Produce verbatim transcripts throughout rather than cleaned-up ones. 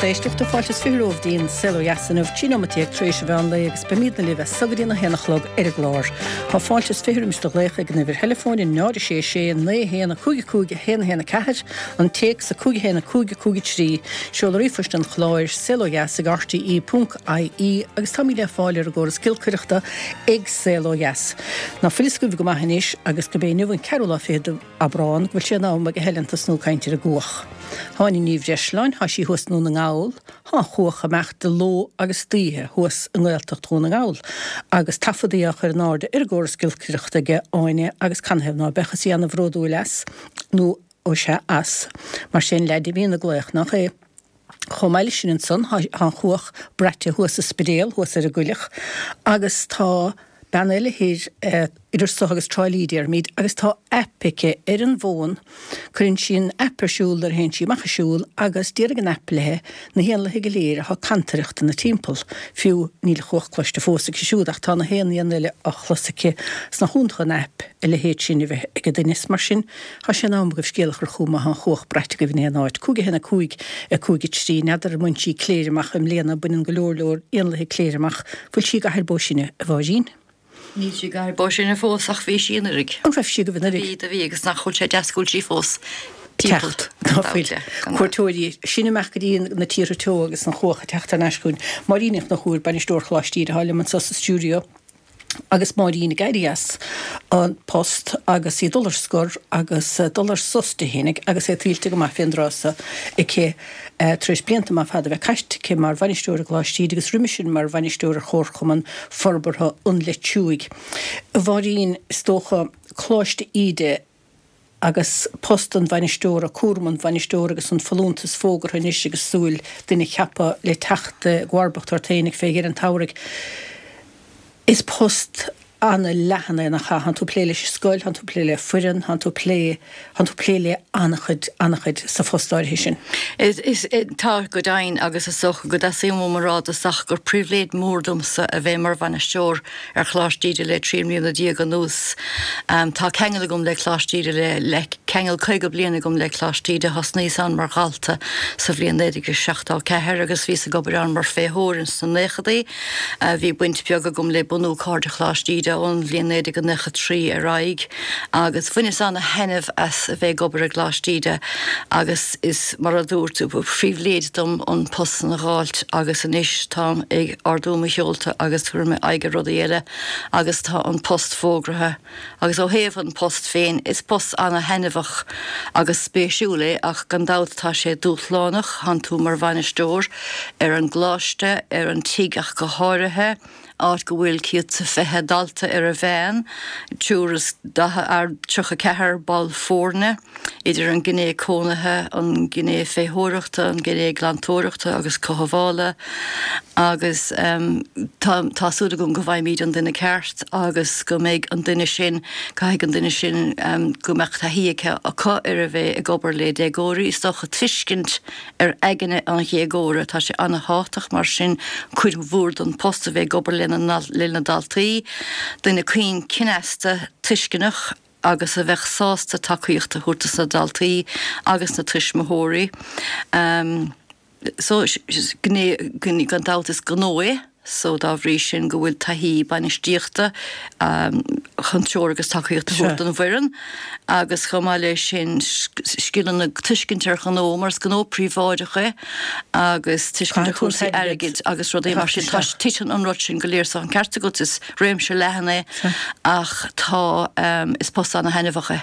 Lucht éisteachta fáilte is fiche romhaibh go dtí an Saol Ó Dheas inniu trí nóiméad déag tar éis an mheán lae agus beimidne libh as so go dtí a haon a chlog ar an gclár. Tá fáilte is fiche roimis do ghlaoch ag an uimhir theileafóin náid a sé sé naoi haon a cúig a cúig a haon a haon a ceathair, an téacs a cúig a haon a cúig a cúig a trí, seoladh ríomhphoist an chláir saol ó dheas ag rte ponc ie agus táimid le fáil ar an gcóras giolcaireachta ag Saol Ó Dheas. Ná fuil a fhios agaibh go maith anois agus gurb é inniu an ceathrú lá fichead d'Aibreán go bhfuil sé in am ag Helen tosnú ag caint ar an gcuach. Tá Áine Ní Bhreisleáin, tá sí thuas i nDún na nGall, tá an chuach ag imeacht de ló agus d'oíche thuas i nGaeltacht Dhún na nGall agus taifeadaí á chur in airde ar an gcóras giolcaireachta aige Áine agus canathaobh ná beadh is í ana-bhródúil as nó ó sea as. Mar sin leaid a bhíonn ag glaoch nach é. Chomh maith leis sin ansan tá an chuach braite thuas sa Spidéal thuas ar an gcoileach agus tá bean eile thoir idir so agus Trá Lí déarfaimid agus tá aip aici ar an bhfón, cuireann sí an aip ar siúl nuair a théann sí amach ag siúl agus déarfaidh an aip léi na héanlaithe go léir atá ag cantaireacht ina timpeall, fiú níl an chuach cloiste fós aici siúd ach tá na haon éan eile á chlos aici. 'S nach iontach an aip a leithéid sin a bheith ag duine is mar sin tá sé in am agaibh scéal a chur chugam má tá an chuach braite agaibh in aon áit. Cúig a haon a cúig a cúig a trí, n'fheadar ar bhain sí Cléire amach i mbliana, baineann go leor leor éanlaithe Cléire amach, bhfuil sí i gCathair Bó Sine, a Mháirín? Níl sí i gCathair Bó Sine fós ach bhí sí anuraidh. An raibh sí agaibh anuraidh? Do bhí, do bhí agus nach bhfuil sé deas go bhfuil sí fós timpeall. Teacht, ná fuil. Cuairteoirí, sinn amach go dtí na tíortha teo agus an chuach ag teacht thar n-ais chugainn. Máirín Ní Chonchúir, Bainisteoir Choláiste Íde atá liom anseo sa stiúideo. Agus Máirín ag éirí as an post agus í ag dul ar scor agus dul ar sos di fhéinig agus é tuillte go maith fén dtráth so aici tar éis blianta maith fada a bheith caite aici mar bhainisteoir i gColáiste Íde agus roimis sin mar bhainisteoir ar Chomharchumann Forbartha an Leitriúigh. A Mháirín, is dócha, Coláiste Íde agus post an bhainisteora, cúram an bhainisteora agus an folúntas fógartha anois agus súil duine a cheapadh le teacht i gcomharbacht ort fhéinig fé dheireadh an tsamhraidh. Is post ana-leathan é, nach ea? Tánn tú ag plé leis an scoil, tánn tú ag plé le foireann, tánn tú ag plé, tánn tú ag plé le ana-chuid, ana-chuid sa phost áirithe sin. Is, is, tá, go deimhin, agus is dócha go dteastaíonn uaim a rá i dtosach gur pribhléid mhór domsa a bheith mar bhainisteoir ar Choláiste Íde le trí mbliana déag anuas. Tá ceangal agam le Coláiste Íde le, le ceangal caoga bliain agam le Coláiste Íde. Thosnaíos ann mar dhalta sa bhliain naoi déag is seachtó a ceathair agus bhíos ag obair ann mar féitheoir ins na naochadaí. Bhí baint bheag agam le bunú Cairde Choláiste Íde ón bhliain naoi déag nócha trí ar aghaidh agus bhaineas ana-thaitneamh as a bheith ag obair i gColáiste Íde agus is, mar a dúirt tú, ba phribhléid dom an post san a dh'fháilt agus anois táim ag ardú mo sheolta agus tabharfaidh mé aghaidh ar rudaí eile agus tá an post fógraithe. Agus ó thaobh an post féin, is post ana-thaitneamhach agus spéisiúil é ach gan dabht tá sé dúshlánach, thánn tú mar bhainisteoir ar an gcoláiste, ar an tigh ach go háirithe, áit go bhfuil céad 's a fiche dalta ar a mheán, triúr is daichead, tríocha ceathair ball foirne, idir an gné cónaithe, an gné féitheoireachta, an gné glantóireachta agus cothabhála agus tá tá súil agam go bhfaighimid an duine ceart agus go mbeidh an duine sin, caithfidh an duine sin go mbeadh taithí aici, acu ar a bheith ag obair le déagóirí, is dócha tuiscint ar aigne an dhéagóra. Tá sé ana-thábhachtach mar sin cuid mhór den post a bheith ag obair lena le na daltaí, duine caoin cneasta, tuisceanach agus a bheadh sásta tacaíocht a thabhairt dos na daltaí agus na tuismitheoirí. So, gné, gan dabht is gnó é so dá bhrí sin go bhfuil taithí bainistíochta chun treoir agus tacaíocht a thabhairt don bhfoireann agus chomh maith leis sin scileanna tuiscint ar ghnó mar is gnó príobháideach é agus tuiscint ar chúrsaí airgid agus rudaí mar sin. Tá titeann an rud sin go léir so an ceart agat is réimse leathan é ach tá is post ana-thaitneamhach é.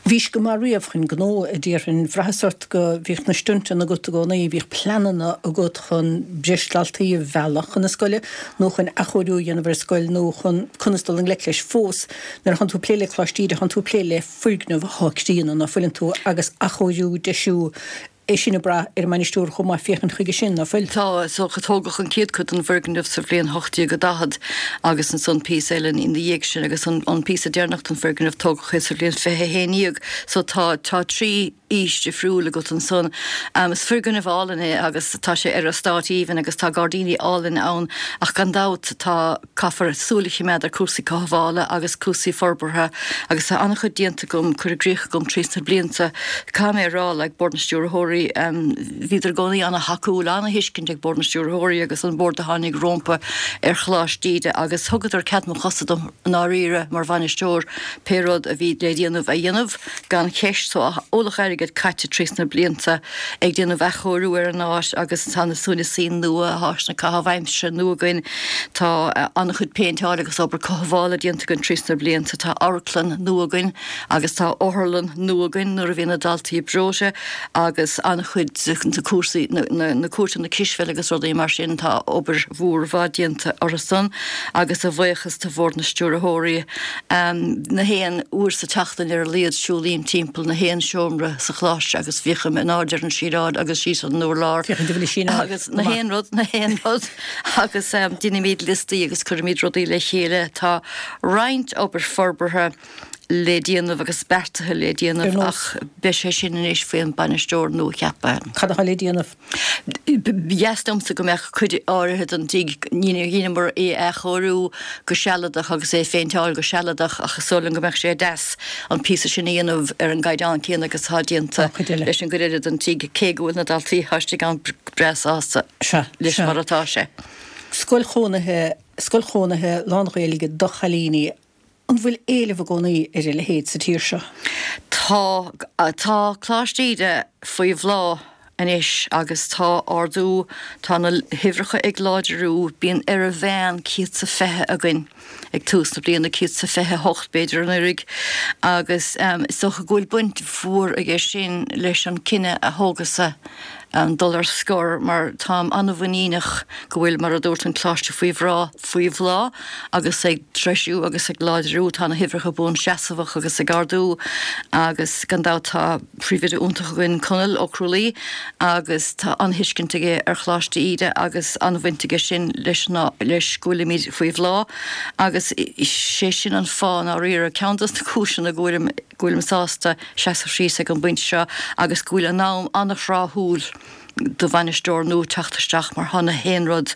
Bhís go maith riamh chun gnó, a déarfainn. Bhraitheas ort go bhíodh na stuntanna agat i gcónaí, bhíodh pleananna agat chun breis daltaí a mhealladh chun na scoile nó chun athchóiriú a dhéanamh ar an scoil nó chun conas dul i ngleic leis. Fós, nuair a thánn tú ag plé le Coláiste Íde, thánn tú ag plé le foirgneamh athá críonna, ná fuileann tú, agus athchóiriú, deisiú, é sin ag brath ar an mbainisteoir chomh maith féachaint chuige sin, ná fuil? Tá, so tógadh an chéad chuid den bhfoirgneamh sa bhliain hocht déag a daichead agus ansan píosa eile ina dhiaidh sin agus an an píosa deireanach den bhfoirgneamh tógadh é sa bhliain fiche a haon dhéag. So tá tá trí aois difriúil agat ansan. Is foirgneamh álainn é agus tá sé ar eastát aoibhinn agus tá gairdíní álainn ann ach gan dabht tá Caithfear súil a choimeád ar cúrsaí cothabhála agus cúrsaí forbartha agus tá an-chuid déanta agam, curtha i gcrích agam trí sna blianta. Caithfidh mé a rá, like, Bord na Stiúrthóirí Stiúrthóirí, bhíodar i gcónaí ana-thacúil, ana-thuiscint ag Bord na Stiúrthóirí agus an bord a tháinig rómpa ar Choláiste Íde agus thugadar cead mo chosa dom i ndáiríre mar bhainisteoir pé rud a bhí le déanamh a dhéanamh gan cheist. So ualach airgid caite trís na blianta ag déanamh athchóiriú ar an áit agus tá na suaimhneasaí nua, áiseanna caitheamh aimsire nua againn, tá an-chuid péinteáil agus obair cothabhála déanta againn trís na blianta, tá amharclann nua againn agus tá otharlann nua againn nuair a bhíonn na daltaí breoite agus an-chuid de cúrsaí na cúirteanna cispheile agus rudaí mar sin, tá obair mhór mhaith déanta orthu san agus a bhuíochas do Bhord na Stiúrthóirí. Na haon uair sa tseachtain ar a laghad siúlaím timpeall na haon seomra sa choláiste agus féachaim in airde ar an síleáil agus síos ar an urlár agus na haon rud, na haon rud agus déanaimid liostaí agus cuirimid rudaí le chéile. Tá roinnt obair forbartha le déanamh agus beartaithe le déanamh ach beidh sé sin anois faoin bainisteoir nua-cheaptha. Cad atá le déanamh? Ba dheas liomsa go mbeadh cuid áirithe den tigh, dheineamar é a athchóiriú go sealadach agus é a phéinteáil go sealadach ach is dóigh liom go mbeadh sé deas an píosa sin a dhéanamh ar an gcaighdeán céanna agus atá déanta leis an gcuid eile den tigh, cé go bhfuil na daltaí atá istigh ann breá sásta leis mar atá sé. Scoil chónaithe, scoil chónaithe lán-Ghaeilge do chailíní, An bhfuil éileamh i gcónaí ar a leithéid sa tír seo? Tá. Tá Coláiste Íde faoi bhláth anois agus tá ardú, tá na huimhreacha ag láidriú, bíonn ar a mheán céad 's a fiche againn ag tús na bliana, céad 's a fiche a hocht b'fhéidir anuraidh, agus is dócha go bhfuil baint mhór aige sin leis an cinneadh a thógas-sa dul ar scor mar táim an-mhuiníneach go bhfuil, mar a dúirt, an Coláiste faoi bhráth, faoi bhláth agus ag treisiú agus ag láidriú. Tá na huimhreacha buanseasmhach agus ag ardú agus gan dabht tá príomhoide iontach againn, Conall Ó Crualaoi, agus tá an-thuiscint aige ar Choláiste Íde agus an-bhaint aige sin leis na, leis go bhfuilimid faoi bhláth agus sé sin an fáth i ndáiríre, ceann dos na cúiseanna go bhfuilim, go bhfuilim sásta seasamh síos ag an bpointe seo agus go bhfuil an am an-thráthúil do bhainisteoir nua teacht isteach mar tá na haon rud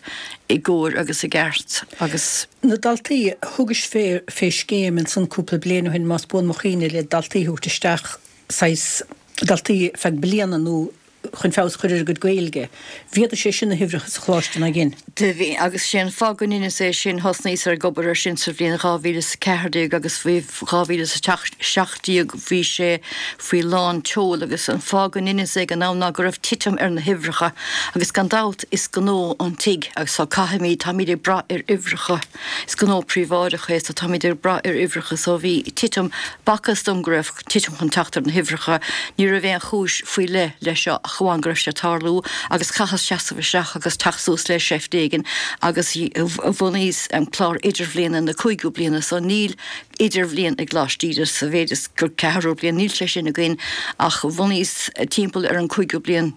i gcóir agus i gceart agus. Na daltaí, thugais fé fé scéim ansan cúpla bliain ó shin más buan mo chuimhne le daltaí a thabhairt isteach saghas daltaí feadh bliana nó chun feabhas a chur ar a gcuid Gaeilge. Mhéadaigh sé sin na huimhreacha sa choláiste nár dhein? Do bhí, agus sé an fáth go ndeineas é sin, thosnaíos ar ag obair ar sin sa bhliain dhá mhíle is a ceathair déag agus faoi dhá mhíle is a seacht déag bhí sé faoi lán tseoil agus an fáth go ndeineas é ag an am ná go raibh titim ar na huimhreacha agus gan dabht is gnó an tigh agus so caithfimid, táimid ag brath ar uimhreacha, is gnó príobháideach é so táimid ag brath ar uimhreacha so bhí titim, b'fhacthas dom go raibh titim chun teacht ar na huimhreacha, ní raibh aon chúis faoi leith leis seo ach amháin go raibh sé ag tarlú agus chaitheas seasamh isteach agus teacht suas le seift éigin agus bhunaíos clár idirbhliana na cúigiú bliana so níl idirbhliain i gColáiste Íde sa mhéid is gur ceathrú bliain, níl sé sin againn ach bhunaíos timpeall ar an cúigiú bliain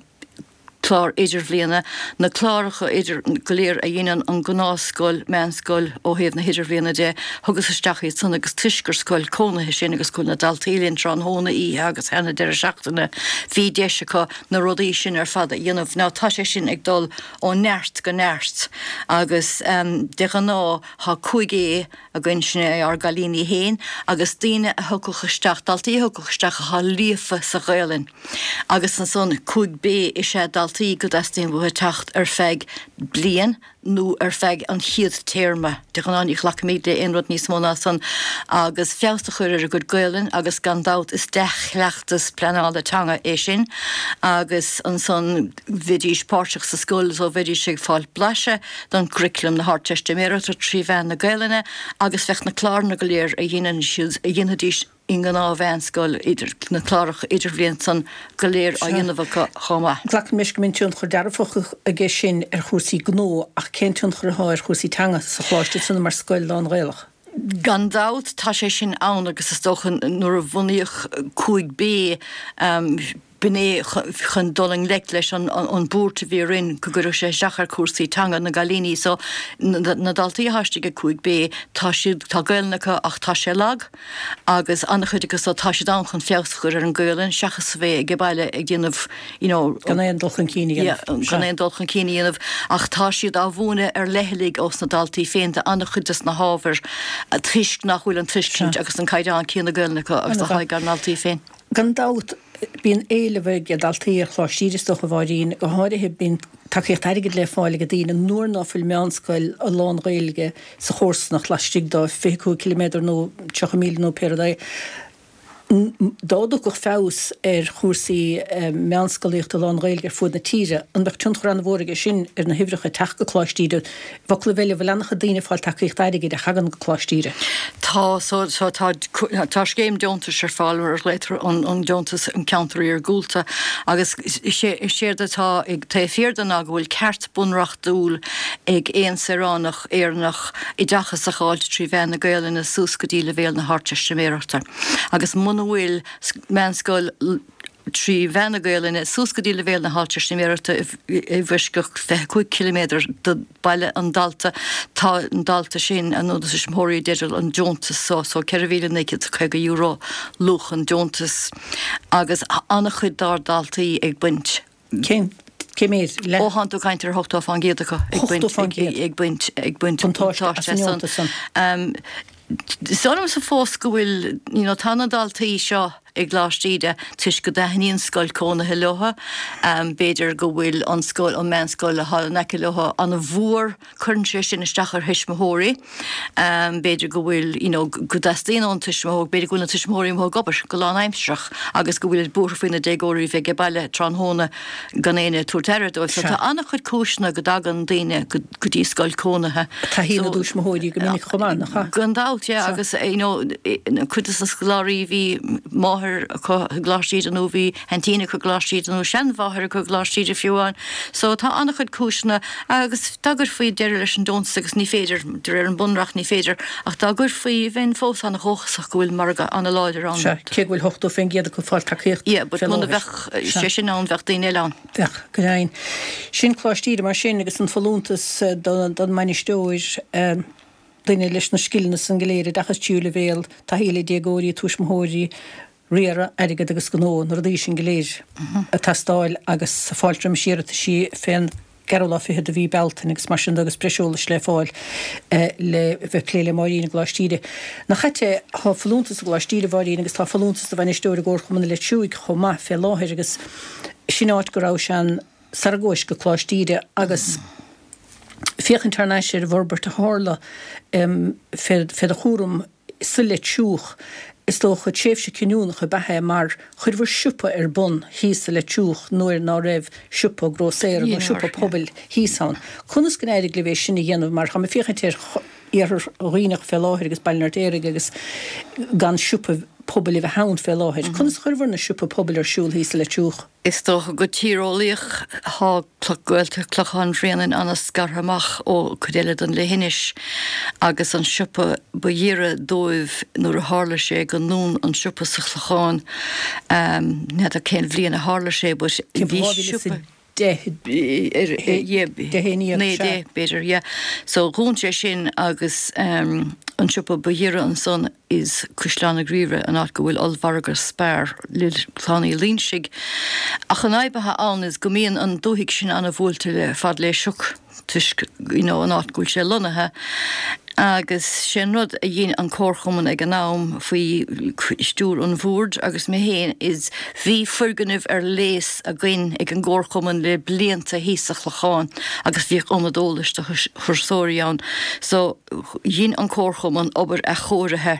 clár idirbhliana, na cláracha idir go léir a dhéanann an gnáthscoil, meánscoil ó thaobh na hidirbhliana de, thugas isteach iad san agus toisc gur scoil cónaithe sinn agus go bhfuil na daltaí linn tráthnóna, oíche agus thar na deireadh seachtaine, bhí deis acu na rudaí sin ar fad a dhéanamh. Now tá sé sin ag dul ó neart go neart agus de ghnáth tá cúig A againn, sin é ár gcailíní féin agus daoine a thiocfadh isteach, daltaí a thiocfadh isteach atá líofa sa Ghaelainn agus ansan cúig B is ea daltaí go dteastaíonn uathu teacht ar feadh bliain nó ar feadh an chéad téarma. De ghnáth ní ghlacaimid le aon rud níos mó ná san agus feabhas a chur ar a gcuid Gaelainn agus gan dabht is dea-chleachtas pleanála teanga é sin agus ansan bheidís páirteach sa scoil so bheidís ag fáil blaiseadh don gcurriculum na hArdteistiméireachta trí mheán na Gaelainne agus bheadh na cláranna go léir a dhéanann siad, a dhéanfaidís i ngnáth-mheánscoil, idir na cláracha idirbhliana san go léir á Sea. dhéanamh acu chomh maith. Glacaim leis go mbíonn tionchar dearfach aige sin ar chúrsaí gnó ach cén tionchar atá ar chúrsaí teanga sa choláiste san mar scoil lán-Ghaelach? Gan dabht tá sé sin ann agus is dócha nuair a bhunaíodh cúig B, B'in é chun dul i ngleic leis an buairt a bhí orainn go gcuirfeadh sé isteach ar chúrsaí teanga na gcailíní. So na daltaí atá istigh ag cúig B, tá siad, tá Gaelainn acu ach tá sé lag agus an-chuid acu so tá siad ann chun feabhas a chur ar an Gaelainn seachas a bheith ag baile ag déanamh you know, Gan aon dul chun cinn a yeah, dhéanamh. gan aon dul chun cinn a dhéanamh ach tá siad á mhúineadh ar leithligh ós na daltaí féin do an-chuid des na hábhair toisc nach bhfuil an Sea. tuiscint agus an caighdeán céanna Gaelainn acu agus atá An-mhaith. ag ár ndaltaí féin. Gan dabht, Bíonn éileamh ag daltaí ar Choláiste Íde is dócha, a Mháirín, go háirithe bíonn tacaíocht airgid le fáil ag daoine nuair ná fuil meánscoil lán-Ghaeilge sa chomharsanacht laistigh de fiche cúig ciliméadar nó tríocha míle nó pé rud é. Dá dtiocfadh feabhas ar chúrsaí meánscolaíochta lán-Ghaeilge ar fud na tíre, an mbeadh tionchar an-mhór aige sin ar na huimhreacha ag teacht go Coláiste Íde? I bhfoclaibh eile, bhfuil an-chuid daoine ag fáil tacaíocht airgid a thagann go Coláiste Íde? Tá, so so tá tá scéim deontais ar fáil ar a ghlaotar an an deontas an ceantar iargúlta agus is é is éard atá ag taobh thiar de ná go bhfuil ceart bunreachtúil ag aon saoránach Éireannach oideachas a fháilt trí mheán na Gaelainne suas go dtí leibhéal na hArdteistiméireachta agus muna bhfuil meánscoil trí mheán na Gaelainne suas go dtí leibhéal na hArdteistiméireachta i bhfoisceacht fiche cúig ciliméadar de bhaile an dalta, tá an dalta sin nó na tuismitheoirí i dteideal an deontas so, so ceithre mhíle naoi gcéad is caoga euro luach an deontais agus an-chuid dár ndaltaí ag baint. Cén cé méid? Ó thánn tú ag caint ar ochtó fán gcéad acu ag baint ag baint ag baint buntáiste as an deontas san. Is dóigh liomsa fós go bhfuil, you know, tá na daltaí seo i gColáiste Íde toisc go dtaitníonn scoil cónaithe leo. B'fhéidir go bhfuil an scoil, an meánscoil atá in aice leo an-mhór, cuireann sé sin isteach ar thuismitheoirí. B'fhéidir go bhfuil, you know, go dteastaíonn ón tuismitheoir, b'fhéidir go bhfuil na tuismitheoirí amuigh ag obair go lánaimsearach agus go bhfuil buartha faoi na déagóirí bheith ag baile tráthnóna gan éinne ag tabhairt aire dóibh. So tá an-chuid cúiseanna go dtagann daoine go dtí scoil cónaithe. Taithí na dtuismitheoirí go minic chomh maith, nach ea? Gan dabht, yeah, agus you know, cuid de na scoláirí bhí máthair acu i gColáiste Íde nó bhí aintín acu i gColáiste Íde nó seanmháthair acu i gColáiste Íde fiú amháin. So tá an-chuid cúiseanna agus dá gcuirfí deireadh leis an deontas agus ní féidir, de réir an Bunreacht ní féidir, ach dá gcuirfí bheinn fós an-dhóchasach go bhfuil margadh an-láidir ann. Sea, cé go bhfuil ochtó faoin gcéad acu ag fáil tacaíocht Yeah, but fé muna láthair. bheadh sé sin ann bheadh daoine eile ann. Bheadh, go deimhin. Sin Coláiste Íde mar sin agus an folúntas don mbainisteoir, duine leis na scileanna san go léir, oideachas tríú leibhéal, taithí le déagóirí, tuismitheoirí, riaradh, airgead agus gnó, na rudaí sin go léir ag teastáil agus fáilte roimis iarrataisí fén gceathrú lá fichead de mhí Bealtaine agus mar sin de agus breis eolais le fáil le bheith ag plé le Máirín i gColáiste Íde. Nach ait é, tá folúntas i gColáiste Íde, a Mháirín, agus tá folúntas do bhainisteoir i gComharchumann na Leitir Thuaidh chomh maith fé láthair agus sin áit go rabhais ann sara ngabhais go Coláiste Íde agus féachaint thar n-ais ar an bhforbairt a tharla fé do chúram sa Leitir Thuaidh, is dócha tréimhse cinniúnach ab ea é mar chuireabhair siopa ar bun thíos sa Leitir Thuaidh nuair ná raibh siopa grósaera nó siopa pobail thíos ann. Conas go n-éirigh libh é sin a dhéanamh mar tá mé ag féachaint ar Iarthar Dhuibhneach fé láthair agus Baile an Fheirtéaraigh agus gan siopa pobail a bheith ann fé láthair. Conas a chuireabhair na siopa pobail ar siúl thíos sa Leitir Thuaidh? Is dócha go tíreolaíoch thá Gaeltacht Clochán Bhréanainn ana-scartha amach ó cuid eile den leithinis agus an siopa ba ghiorra dóibh nuair a tharla sé go ndún an siopa sa Chlochán, n'fheadar cén bhliain a tharla sé but bhí siopa. deich, deich aon dhéag, naoi sea. deich b'fhéidir, yeah. So dhún sé sin agus an siopa ba ghiorra ansan is Caisleán na Griaimhre, an áit go bhfuil ollmhargadh Spar le Clann Uí Loingsigh. Ach an fhadhb atá ann is go mbíonn an dúthaigh sin ana-bhuailte le fad le sioc toisc you know an áit go bhfuil sé lonnaithe. Agus sé an rud a dhein an Comharchumann ag an am faoi stiúir an bhoird agus mé féin is bhí foirgneamh ar léas againn ag an gComharchumann le blianta thíos sa Chlochán agus bhíodh ionad eolais do thurasóirí ann. So dhein an Comharchumann obair athchóirithe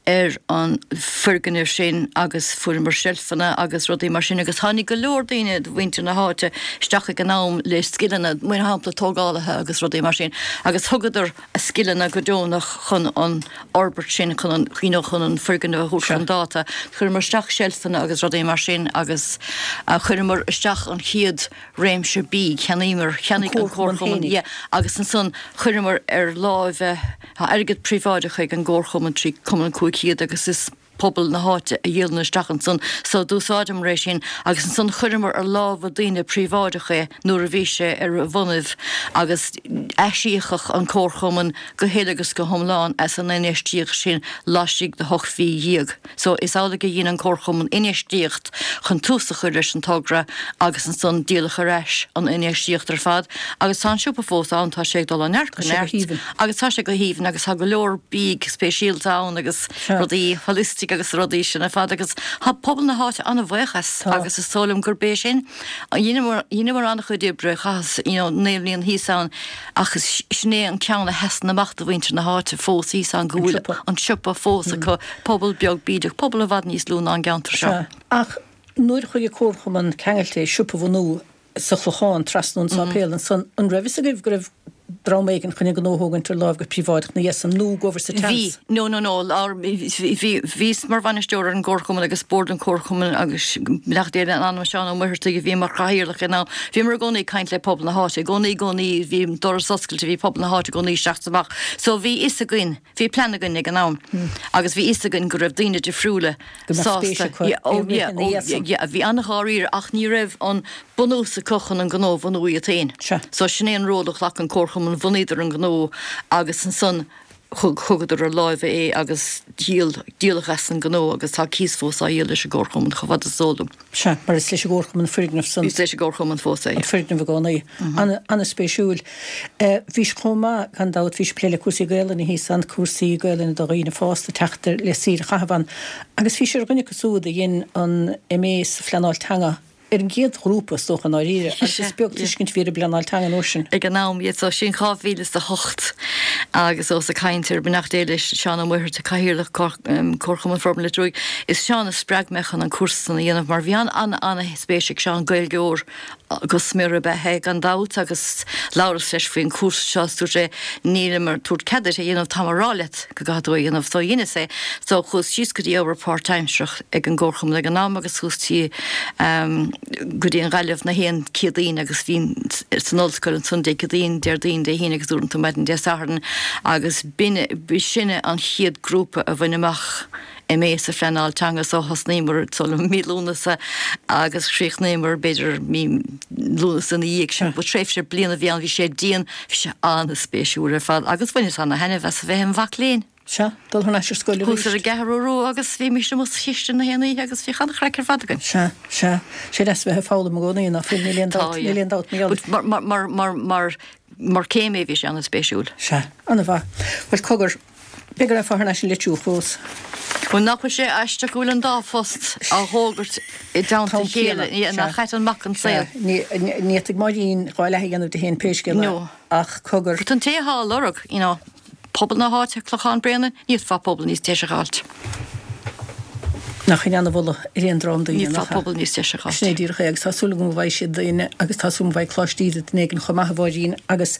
ar an foirgneamh sin agus fuaireamar seilfeanna agus rudaí mar sin agus tháinig go leor daoine de mhuintir na háite isteach ag an am le scileanna, mar shampla tógálaithe agus rudaí mar sin agus thugadar a scileanna go deonach chun an fhorbairt sin, chun an, you know, chun an foirgneamh a thabhairt chun dáta. Chuireamar isteach seilfeanna agus rudaí mar sin agus chuireamar isteach an chéad réimse bídh, cheannaíomar, cheannaigh an Comharchumann, yeah, agus ansan chuireamar ar láimh, Tá airgead príobháideach ag an gComharchumann trí Cumann Cúig Chéad agus is pobal na háite a dhíolann isteach ansan so d'úsáideamar é sin agus ansan chuireamar ar lámha daoine príobháideach é nuair a bhí sé ar a bhonnaibh agus aisíocadh an Comharchumann go huile agus go hiomlán as an infheistíocht sin laistigh de hocht mhí dhéag. So is amhlaidh a dhein an Comharchumann infheistíocht chun tús a chur leis an togra agus ansan díoladh ar ais an infheistíocht ar fad agus tá an siopa fós ann, tá sé ag dul ó neart go Tá sé go neart haoibhinn. agus tá sé go haoibhinn agus tá go leor bídh speisialta ann agus Sea. rudaí holistic oifig agus rudaí sin ar fad agus tá pobal na háite an-bhuíoch as agus is dóigh liom gurb é sin dheineamar an-chuid oibre chaitheas you know naoi mbliana thíos ann ach sin é an ceann a sheasann amach do mhuintir na háite fós thíos ann go bhfuil an siopa fós acu pobal beag bídeach pobal i bhfad níos lú ná an gceantar seo. Ach nuair a chuaigh an Comharchumann ceangailte siopa a bhunú sa Chlochán trasna ón sáipéal ansan an raibh fhios agaibh go raibh dream éigin chun an gnó a thógaint ar láimh go príobháideach ina dhiaidh san nó go bhfuair sa Bhí, tseans? no no no, ár, bhí, bhíos mar bhainisteoir ar an gComharchumann agus bord an Chomharchumainn agus beannacht Dé lena anam Seán Ó Muircheartaigh a bhí mar chathaoirleach ag an am. Bhíomar i gcónaí ag caint le pobal na háite, i gcónaí, i gcónaí bhí an doras oscailte, bhí pobal na háite i gcónaí isteach is amach. So bhí fhios againn, bhí plean againn ag an am agus bhí fhios againn go raibh daoine difriúla Go mbeadh spéis sásta, acu yeah, oh i rith yeah, ina oh dhiaidh san. yeah, bhí an-dháiríre ach ní raibh an bunús acu chun an gnó a bhunú iad féin. Sea. So sin é an ról a ghlac an Comharchumann, bhunaíodar an gnó agus ansan thug thugadar ar láimh é agus díol díoladh as an gnó agus tá cíos fós á dhíol leis an gComharchumann chomh fada is eol dom. Sea, mar is leis an gComharchumann an foirgneamh san. Is leis an gComharchumann fós é. An foirgneamh i gcónaí. An-spéisiúil. Bhís chomh maith, gan dabht, bhís ag plé le cúrsaí Gaelainne thíos ann, cúrsaí Gaelainne do dhaoine fásta teacht le saoire a chaitheamh ann. Agus bhís ar dhuine acu siúd a dhein an MA sa phleanáil teanga ar an gcéad ghrúpa, is dócha, i ndáiríre, agus is beag tuiscint a bhí ar an bpleanáil teanga an uair sin. Ag an am, yeah, so sin dhá mhíle is a hocht agus ós ag caint ar beannacht Dé leis Seán Ó Muircheartaigh, Cathaoirleach Comharchumann Forbartha Leitir Fhionnúig, is Seán a spreag mé chun an cúrsa san a dhéanamh mar bhí an-an-an-spéis ag Seán, Gaeilgeoir go smior ab ea é gan dabht agus labhras leis faoin chúrsa seo is dúirt sé nílim ag tabhairt cead duit é a dhéanamh, táim ag rá leat go gcaithfidh tú é a dhéanamh. So dheineas é. So chuas síos go dtí obair páirtaimsearach ag an gComharchumann ag an am agus chuas tí go dtí an Ghaillimh na haon Céadaoin agus bhínn san ollscoil ansan Dé Céadaoin, Déardaoin, Dé hAoine agus uaireanta maidin Dé Sathairn agus b'in, b'shinne an chéad grúpa a bhain amach MA sa phleanáil teanga so thosnaíomar so mí Lúnasa agus chríochnaíomar b'fhéidir mí Lúnasa ina dhiaidh sin. Ba tréimhse bliana a bhí ann, bhí sé dian, bhí sé an-spéisiúil ar fad agus bhaineas ana-thaitneamh as a bheith im mhac léinn. Sea, dul thar n-ais ar scoil Chuas arís. ar an gCeathrú Rua agus bhímis amuigh sa chistin na haon oíche agus bhíodh an-chraic ar fad againn. Sea, sea. Sé deas a bheith ag foghlaim i gcónaí, ná fuil, níl aon Tá, dabht, yeah. níl aon dabht mar gheall. But mar, mar, mar, mar, mar, mar céim é bhí sé an-spéisiúil. Sea, an-mhaith. Bhuel, cogar, b'fhéidir go raibh thar n-ais in Leitir fós. Bhuel, nach bhfuil sé aisteach go bhfuil an dá phost á bhfógairt i dteannta a chéile, nach ait an mac an saol. Ní fhéadfaidh Máirín dhá leath a dhéanamh de féin pé scéal é, No. ach cogar. But an té atá á lorg, you know, pobal na háite, Clochán Bréanainn, ní fhéadfá pobal níos deise a fháilt. Nach in an-mholadh ar aon dream daoine, Ní fhéadfá nach ea? pobal níos deise a fháilt. Sin é díreach é, agus tá súil agam go bhfaighidh siad daoine agus tá súil agam go bhfaighidh Coláiste Íde duine éigin chomh maith a Mháirín agus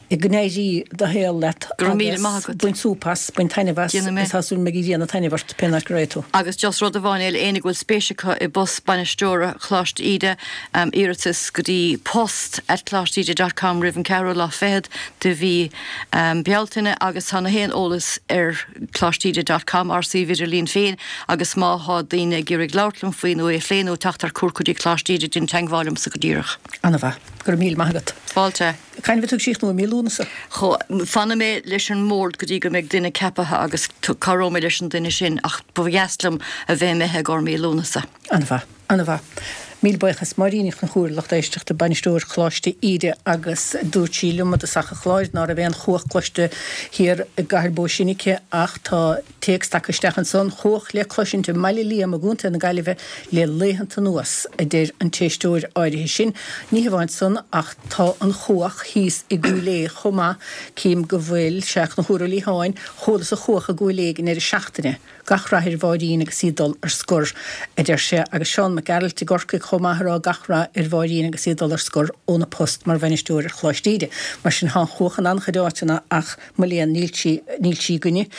go n-éirí do shaol leat Go raibh míle agus maith agat. bain súp as, bain taitneamh as, Déanfaidh mé. agus tá súil agam go mbeidh ag déanamh taitneamh ort pé áit go raghaidh tú. Agus just rud amháin eile, éinne go bhfuil spéis acu i bpost bainisteora Choláiste Íde, um, iarratas go dtí post at coláiste íde dot com roimh an ceathrú lá fichead de mhí um, Bealtaine agus tá na haon eolas ar coláiste íde dot com ár suíomh idirlín féin agus má tá daoine ag iarraidh labhairt liom faoi nó é a phlé nó teacht ar cuairt go dtí Coláiste Íde déan teagmháil liomsa go díreach. An-mhaith. Go raibh míle maith agat. Fáilte. Cathain a bheidh tú ag críochnú i mí Lúnasa? Cho, fanfaidh mé leis an mbord go dtí go mbeidh duine ceaptha agus cabhróidh mé leis an duine sin ach ba dheas liom a bheith imithe i gcomhair mí Lúnasa. An-mhaith. An-mhaith. Míle buíochas. Máirín Ní Chonchúir, lucht éisteachta, bainisteoir Choláiste Íde agus dúirt sí liom i dtosach an chláir ná raibh aon chuach cloiste thiar i gCathair Bó Sine aici ach tá téacs tagtha isteach ansan, chuach le cloisint i mBaile Liam i gContae na Gaillimhe le laethanta anuas, a deir an t-éisteoir áirithe sin. Ní hamháin san ach tá an chuach thíos i gCúil Aodha chomh maith, cím go bhfuil, sea, Conchúr Ó Liatháin, chualas an chuach i gCúil Aodha ag an ndeireadh seachtaine. Gach rath ar Mháirín agus í ag dul ar scor, a deir sé, agus Seán Mac Gearailt i gCorcaigh chomh maith a rá gach rath ar Mháirín agus í ag dul ar scor óna post mar bhainisteoir ar Choláiste Íde. Mar sin tá an chuach in an-chuid áiteanna ach mo léan níl sí, níl sí againne.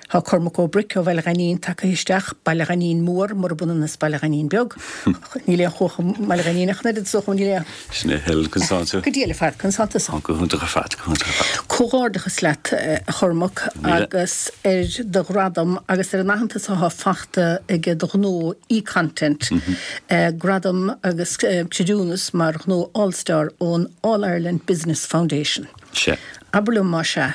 Tá Cormac Ó Bric ó Bhaile Ghainín tagtha isteach, Baile Ghainín Mór, murab ionann is Baile Ghainín Beag. Níl aon chuach i mBaile Ghainín ach an oiread is dócha, níl aon. Sin é, Helen, conas tánn tú. Go diail ar fad, conas tánn tusa. Go hiontach ar fad, go hiontach ar fad. Comhghairdeachas leat, a Chormac, Míle. agus ar do ghradam agus ar an aitheantas atá faighte ag do ghnó e-content, gradam agus creidiúnas mar ghnó All-Star ón All Ireland Business Foundation. Sea. Abair liom más ea,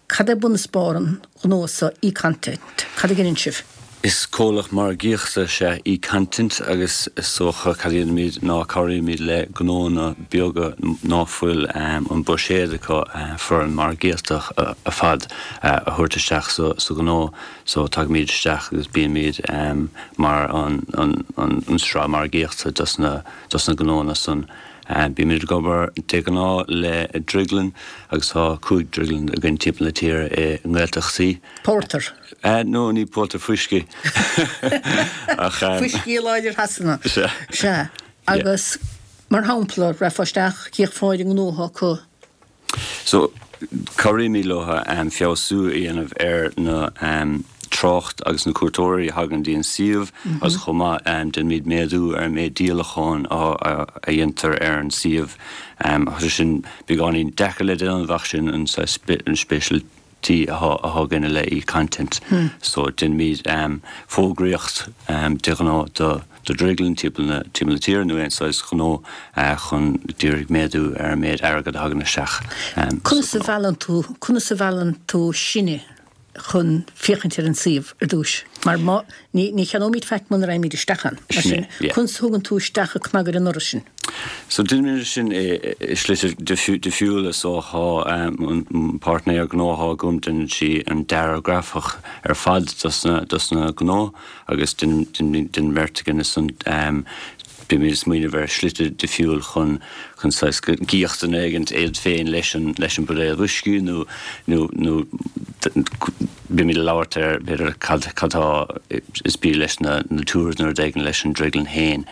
cad é bun is barr an ghnó seo e-content? Cad a dheineann sibh? Is comhlacht margaíochta is ea eContent agus is dócha cad a dhéanaimid ná cabhraímid le gnónna beaga ná fuil an buiséad acu foireann margaíochta ar fad a thabhairt isteach sa ghnó so tagaimid isteach agus bímid mar an sraith margaíochta dos na gnónna san. Bímid ag obair de ghnáth le drioglann agus tá cúig drioglann againn timpeall na tíre i nGaeltachtaí. Pórtar? No, ní pórtar, fuiscí. Ach fuiscí láidir Shasana. Sea. Sea. Agus mar shampla, rachfá isteach, chífeá an gnó acu. So, cabhraímid leo feabhsú a dhéanamh ar na trácht agus na cuairteoirí a thagann dtí an suíomh agus chomh maith déanaimid méadú ar an méid díolachán a dhéantar ar an suíomh. Tá sé sin beagáinín deacair le déanamh ach sin an speisialty atá againn le eContent. So déanaimid fógraíocht de ghnáth do do dhrioglann timpeall na timpeall na tíre nó aon saghas gnó chun díreach méadú ar an méid airgead a thagann isteach. Conas a mheallann tú, conas a mheallann tú sinne chun féachaint ar an suíomh ar dtús? Mar má, ní, ní cheannóimid faic muna raghaimid isteach ann. Mar sin, conas a thugann tú isteach an cnag ar an ndoras sin? So déanaimid sin i slite difriúla so tá an páirtnéir gnó atá agam déanann sí an dearadh grafach ar fad dos na, dos na gnó agus déanann beirt againn ansan bímid ag smaoineamh ar shlite difriúil chun chun saghas go gcífeadh duine éigint iad féin leis an leis an buidéal uisce nó nó nó bímid ag labhairt ar b'fhéidir cad cad tá is bia leis na na tours nó rud éigin leis an drioglann féin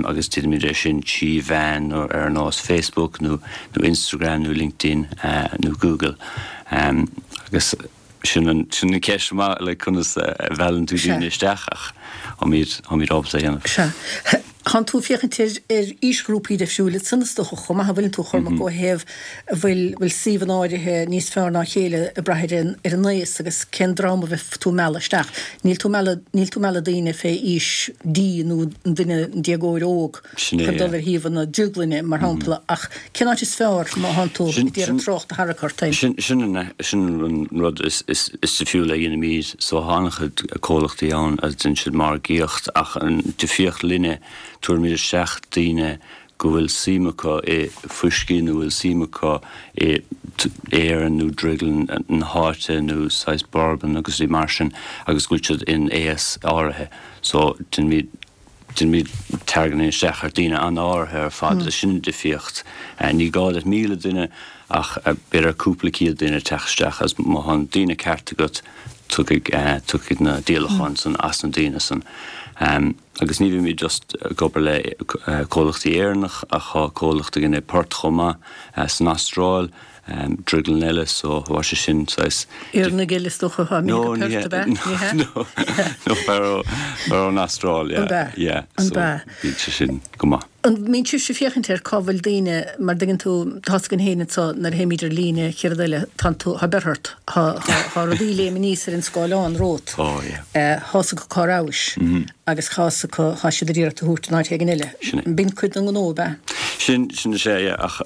agus déanaimid é sin trí mheán nó ar nós Facebook nó nó Instagram nó LinkedIn nó Google agus Sin an sin an ceist maith like conas a mheallann tú daoine isteach ach táimid táimid ábalta é a dhéanamh. Sea. Tánn tú ag féachaint ar ar aoisghrúpaí difriúla ansan is dócha chomh maith an bhfuileann tú a Chormac ó thaobh an bhfuil bhfuil suíomhanna áirithe níos fearr ná a chéile ag brath ar an ar an aos agus cén dream a bheidh tú ag mealladh isteach. Níl tú ag mealladh níl tú ag mealladh daoine fé aois D nó an duine an déagóir óg Sin é chun dul ar shuíomhanna drioglainne mar shampla ach cén áit is fearr má thánn tú Sin ag iarraidh sin trácht a tharrac ort féin? Sin sin an sin an rud is is difriúil a dhéanaimid so tá an-chuid comhlachtaí ann a déanann siad margaíocht ach an difríocht linne tabhairimid isteach daoine go bhfuil suim acu i fuiscí nó bhfuil suim acu i Éirinn nó drioglann na háite nó saghas bourbon agus rudaí mar sin agus go bhfuil siad in aos áirithe so déanaimid Déanaimid targeting isteach ar daoine an-áirithe ar fad agus sin an difríocht. Ní gá duit míle duine ach b'fhéidir cúpla céad duine teacht isteach agus má tá an daoine ceart agat tiocfaidh tiocfaidh na díolacháin san as na daoine san. Agus ní bhímid just ag obair le comhlachtaí Éireannach ach tá comhlacht againn i Perth chomh maith san Astráil. Drioglann eile so tá sé sin saghas. Éireannaigh eile is dócha atá No imithe ní go hea Perth ab ea? Ní hea? No no fear ó fear ón Astráil An yeah b'ea? yeah An so b'ea? bíonn sé sin go maith. An mbíonn sibhse ag féachaint ar cá bhfuil daoine mar dtuigeann tú tá's againn féin anso nuair a théimid ar líne chéad rud eile tánn tú tá beirthe ort tá tá tá rudaí ag léim aníos ar an scáileán romhat Oh yeah. tá's acu cá rabhais agus tá's acu tá siad ag iarraidh tú a thabhairt in áit éigin eile. Sin é. B'in cuid den ghnó ab ea? Sin sin is ea yeah ach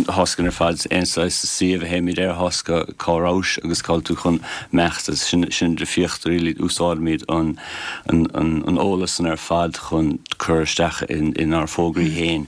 tá's againn ar fad aon saghas suíomh a théimid air tá's acu cá rabhais agus cá bhfuil tú chun imeacht agus sin sin an difríocht really úsáidimid an an an an eolas san ar fad chun cur isteach in inár bhfógraí féin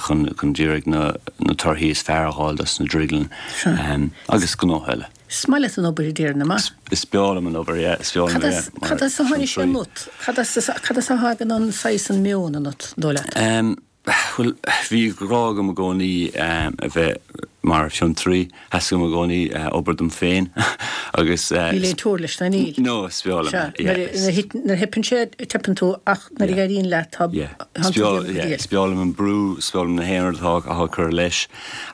chun chun d'iarraidh na na torthaí is fearr a fháil dos na drioglann agus gnótha eile. Is maith leat an obair a déarfainn, an ea? Is breá liom an obair, yeah, is breá liom Cad é as mar cad as a tháinig sé fiontraí. ionat? Cad as cad as a thagann an saghas an meon ionat, dóigh leat? Bhuel, bhí grá agam i gcónaí a bheith mar fhiontraí. Theastaigh uaim i gcónaí obair dom féin agus. Níl aon teora leis, ná níl? No, is breá liom é. Sea, nuair a theipeann sé, teipeann tú ach nuair a éiríonn leat, tá Is breá liom an brú, is breá liom na haon rud atá á cur leis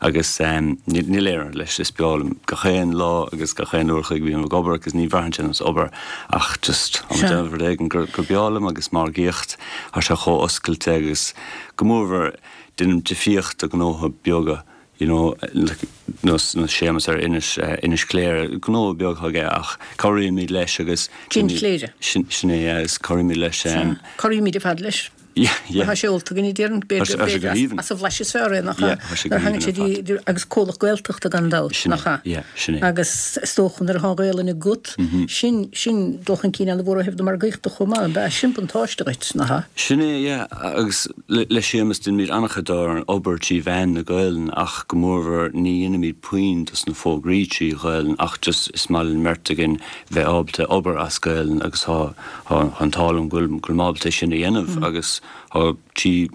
agus níl aon rud leis, is breá liom gach aon lá agus gach aon uair a chloig a bhím ag obair agus ní bhraitheann sé ar nós obair ach just tá mé ag déanamh rud éigin gur breá liom agus margaíocht, tá sé chomh oscailte agus go mórmhór déanaim difríocht do gnótha beaga you know like nós nós Séamus ar Inis Inis Cléire, gnó beag atá aige ach cabhraímid leis agus Gin Chléire. Sin sin é yeah agus cabhraímid leis. Sea, cabhraímid ar fad leis. Yeah, yeah. Tá sé ólta againn, déarfainn, Tá sé go haoibhinn. As an bhlaiseadh is fearr é, nach ea? Yeah, tá sé go Nuair a thagann haoibhinn sé ar dtí, agus comhlacht Gaeltachta gan dabht, Sin é, nach ea? yeah, sin é. Agus is dócha nuair atá Gaelainn agat, sin, sin dul chun cinn an-mhór ó thaobh na margaíochta chomh maith, ab ea? Sin buntáiste dhuit, nach ea? Sin é, yeah, agus le, le Séamus déanaimid an-chuid dár obair trí mheán na Gaelainne ach go mórmhór ní dhéanaimid puinn dos na fógraí trí Ghaelainn ach just is maith linn beirt againn bheith ábalta obair as Gaelainn agus tá, tá an t-ádh liom go bhfuil, go bhfuil mé ábalta é sin a dhéanamh agus tá trí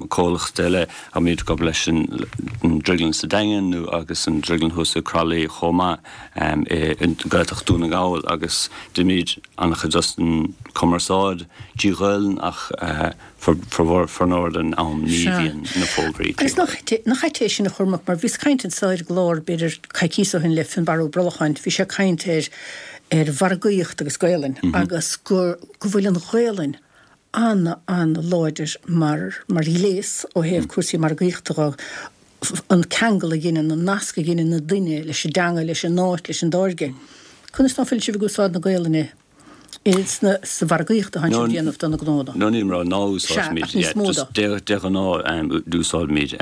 comhlacht eile a mbíonn ag obair leis an Drioglann sa Daingean nó agus an Drioglann thuas i Croithlí chomh maith i Gaeltacht Dún na nGall agus déanaimid an-chuid dos an cumarsáid trí Ghaelainn ach formhór den am ní bhíonn na fógraí trí Agus nach ait é sin a Chormaic mar bhíos ag caint anso ar an gclár b'fhéidir coicís ó shin le Fionnbarra Ó Brolacháin, bhí sé ag caint ar ar mhargaíocht agus Gaelainn agus go go bhfuil an Ghaelainn an-an-láidir mar mar ghléas ó thaobh cúrsaí margaíochta dho, an ceangal a dheineann, an nasc a dheineann an duine leis an dteanga, leis an áit, leis an dtáirge. Conas ná fuil sibh ag úsáid na Gaelainne sna sa mhargaíocht atánn sibh ag déanamh do na gnónna? No níl mé ná úsáidimid, Sea, ach níos mó just dó. de de ghnáth d'úsáidimid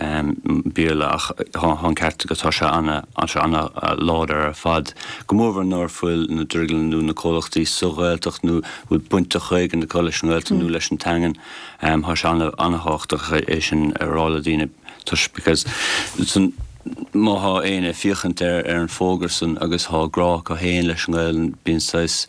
Béarla ach tá an ceart agat tá sé ana tá sé ana láidir ar fad. Go mórmhór nuair fuil na drioglanna nó na comhlachtaí sa Ghaeltacht nó bhfuil baint éigin acu leis an nGaeltacht nó leis an teangain, tá sé ana ana-thábhachtach é sin a rá le daoine toisc because san má thá éinne ag féachaint ar ar an bhfógra san agus thá grá acu féin leis an nGaelainn bíonn saghas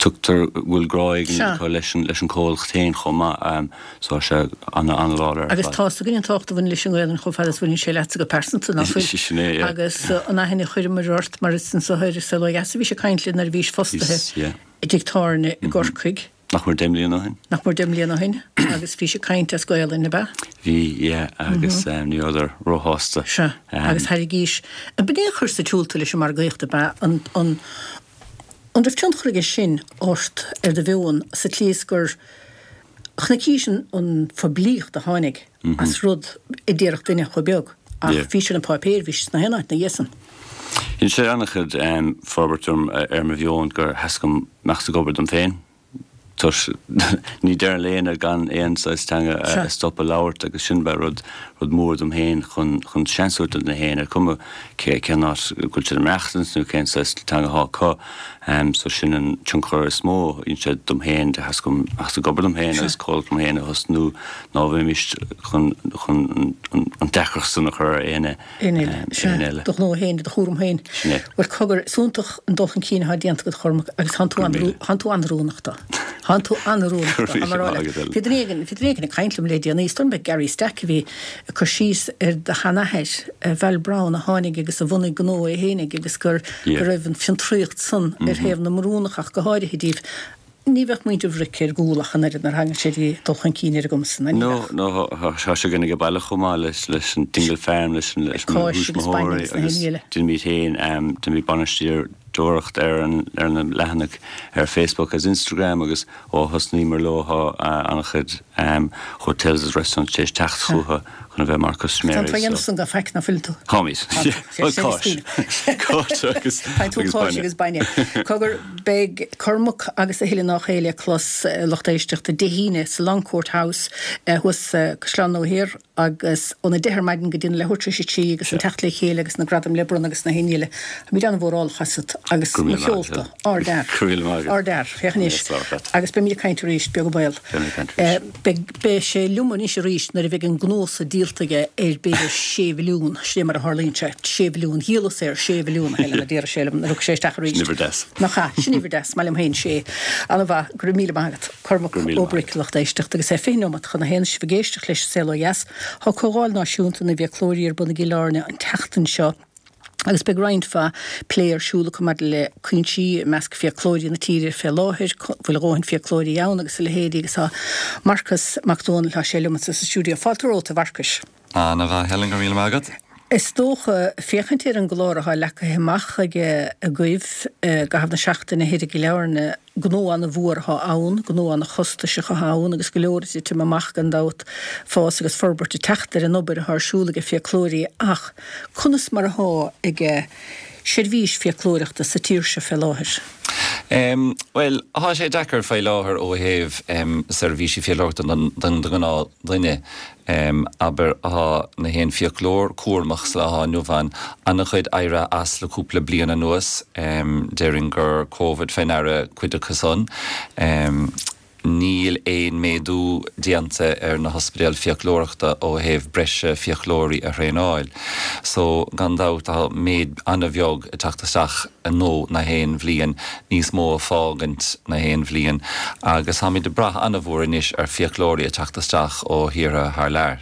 tugtar bhfuil grá éigin acu leis an leis an comhlacht féin chomh maith so tá sé ana an-láidir ar Agus fad. tá's againn an tábhacht a bhaineann leis an nGaelainn chomh fada is a bhaineann sé leatsa go pearsanta, nach bhfuil? Sin é, yeah. Agus an aithne a chuireamar ort mar is anso ar an Saol Ó Dheas a bhís ag caint linn nuair a bhís fostaithe Bhís, yeah. i dtigh tábhairne i gCorcaigh. Nach mór deich mbliana ó shin. Nach mór deich mbliana ó shin agus bhís ag caint as Gaelainn, ab ea? Bhí, yeah, agus ní rabhadar róshásta. Sea, agus thairgís, b'in é a chuir sa tsiúl tú leis an margaíocht, ab ea? An, an, an raibh tionchar aige sin ort ar do mheon sa tslí is gur chonaicis an, an phoiblíocht a tháinig as rud a déarfadh duine chomh beag ach Yeah. bhí sé ar an páipéar, bhí sé sna haon áit ina dhiaidh san. Dhein sé an-chuid forbairt orm ar mo mheon gur theastaigh uaim imeacht ag obair dom féin. Toisc ní deireann le éinne gan aon saghas teanga a stopadh labhairt agus sin ba rud rud mór dom féin chun chun seans a thabhairt do na héinne ar cuma cé cén áit go bhfuil siad ag maireachtaint nó cén saghas teanga atá acu. Um, so sin an tionchar is mó dhein sé dom féin de theastaigh uaim imeacht ag obair dom féin agus comhlacht dom féin a thosnú ná bheimis chun chun an an deacracht san a chur ar éinne Éinne eile. éinne eile. Do ghnó féin, do chúram féin. Sin é. Bhuel cogar, is iontach an dul chun cinn atá déanta agat a Chormaic agus tánn tú Go raibh míle. tánn tú an-oiriúnach dó. Tánn tú an-oiriúnach dó. Go raibh Tá mar míle rá maith agat, Bhí duine éigin, bhí duine éigin ag caint liom le déanaí, is dóigh liom Gary Stack a bhí ag cur síos ar do sheanathair, Val Brown, a tháinig agus a bhunaigh gnó é fhéinig agus gur Yeah. go raibh an fiontraíocht san ar thaobh na mBrúnach ach go háirithe díobh. Ní bheadh muintir Bhric ar gcúl ach an oiread nuair a thagann sé dtí dul chun cinn ar a gcumas san, ní No, bheadh. no, tá sé againn ag baile chomh maith leis leis an Dingle Farm, leis an leis an Cáis agus bainne thuismitheoirí agus na agus héinne eile. déanaimid féin, déanaimid bainisteoireacht ar an ar na leathanaigh ar Facebook agus Instagram agus ó thosnaíomar leo tá an-chuid hotels agus restaurants tar éis teacht chucu chun a bheith mar Tá custaiméirí. tú dhéanamh san gan faic ná fuil tú. Táimid. Bhuel, cáis. Cáis agus Tá tú agus cáis bainne. agus bainne. Cogar beidh Cormac agus a thuilleadh ná chéile clos lucht éisteachta Dé hAoine sa Longcourt House thuas Caisleán Nua Thiar agus óna deich ar maidin go dtí leathuair tar éis a trí agus an teacht le chéile agus na gradaim le bronnadh agus na héinne eile. Táimid an-mhórálach asat agus Go mo raibh míle maith cheolta, agat. ardfhear. Go raibh míle maith agat. Ardfhear, féach anois. Yes, labhair leat. Agus beimid ag caint arís beag an baol. Beimid ag caint arís. Beidh beidh sé liom anois arís nuair a bheidh an gnó so díolta aige ar b'fhéidir sé mhilliún, sé mar a tharlaíonn sé, sé mhilliún, dhíolas é ar sé mhilliún a Helen a déarfadh sé liom nuair a thug sé isteach arís. Sin uimhir deas. Nach ea, sin uimhir deas, maith liom féin sé. An-mhaith, go raibh míle maith agat. Cormac Go raibh míle Ó maith Bric lucht éisteachta agus é fiche nóiméad chun a haon sibh ag éisteacht leis an Saol Ó Dheas. Tá Comhdháil Náisiúnta na bhFiaclóirí ar bun i gCill Airne an tseachtain seo. Agus beidh roinnt mhaith plé ar siúl acu maidir le cúinsí i measc fiaclóirí na tíre fé láthair, bhfuil a dhóthain fiaclóirí ann agus a leithéidí agus tá Marcas Mac Dónaill tá sé liom sa stiúideo. Fáilte romhat a Mharcais. Ana-mhaith Helen go raibh míle maith agat. Is dócha féachaint ar an gclár atá leagtha amach ag agaibh i gcaitheamh na seachtaine thoir i gCill Airne gnó an-mhór atá ann, gnó an-chostasach atá ann agus go leor ag titim amach gan dabht fás agus forbairt ag teacht ar an obair atá ar siúl ag fiaclóirí ach conas mar atá ag seirbhís fiaclóireachta sa tír seo fé láthair. Um, well, tá sé deacair fé láthair ó thaobh um, seirbhísí fiaclóireachta don don gnáthdhuine. Um, aber tá na haon fiaclóir cúramach sa lá inniu ann an-chuid éirithe as le cúpla bliain anuas um, déarfainn gur COVID fé ndeara cuid acu san. Um, Níl aon méadú déanta ar na hospidéil fiaclóireachta ó thaobh breise fiaclóirí a thraenáil. So gan dabht tá méid an-bheag ag teacht isteach nó na haon bhliain níos mó ag fágaint na haon bhliain agus táimid ag brath an-mhór anois ar fiaclóirí ag teacht isteach ó thíortha thar lear.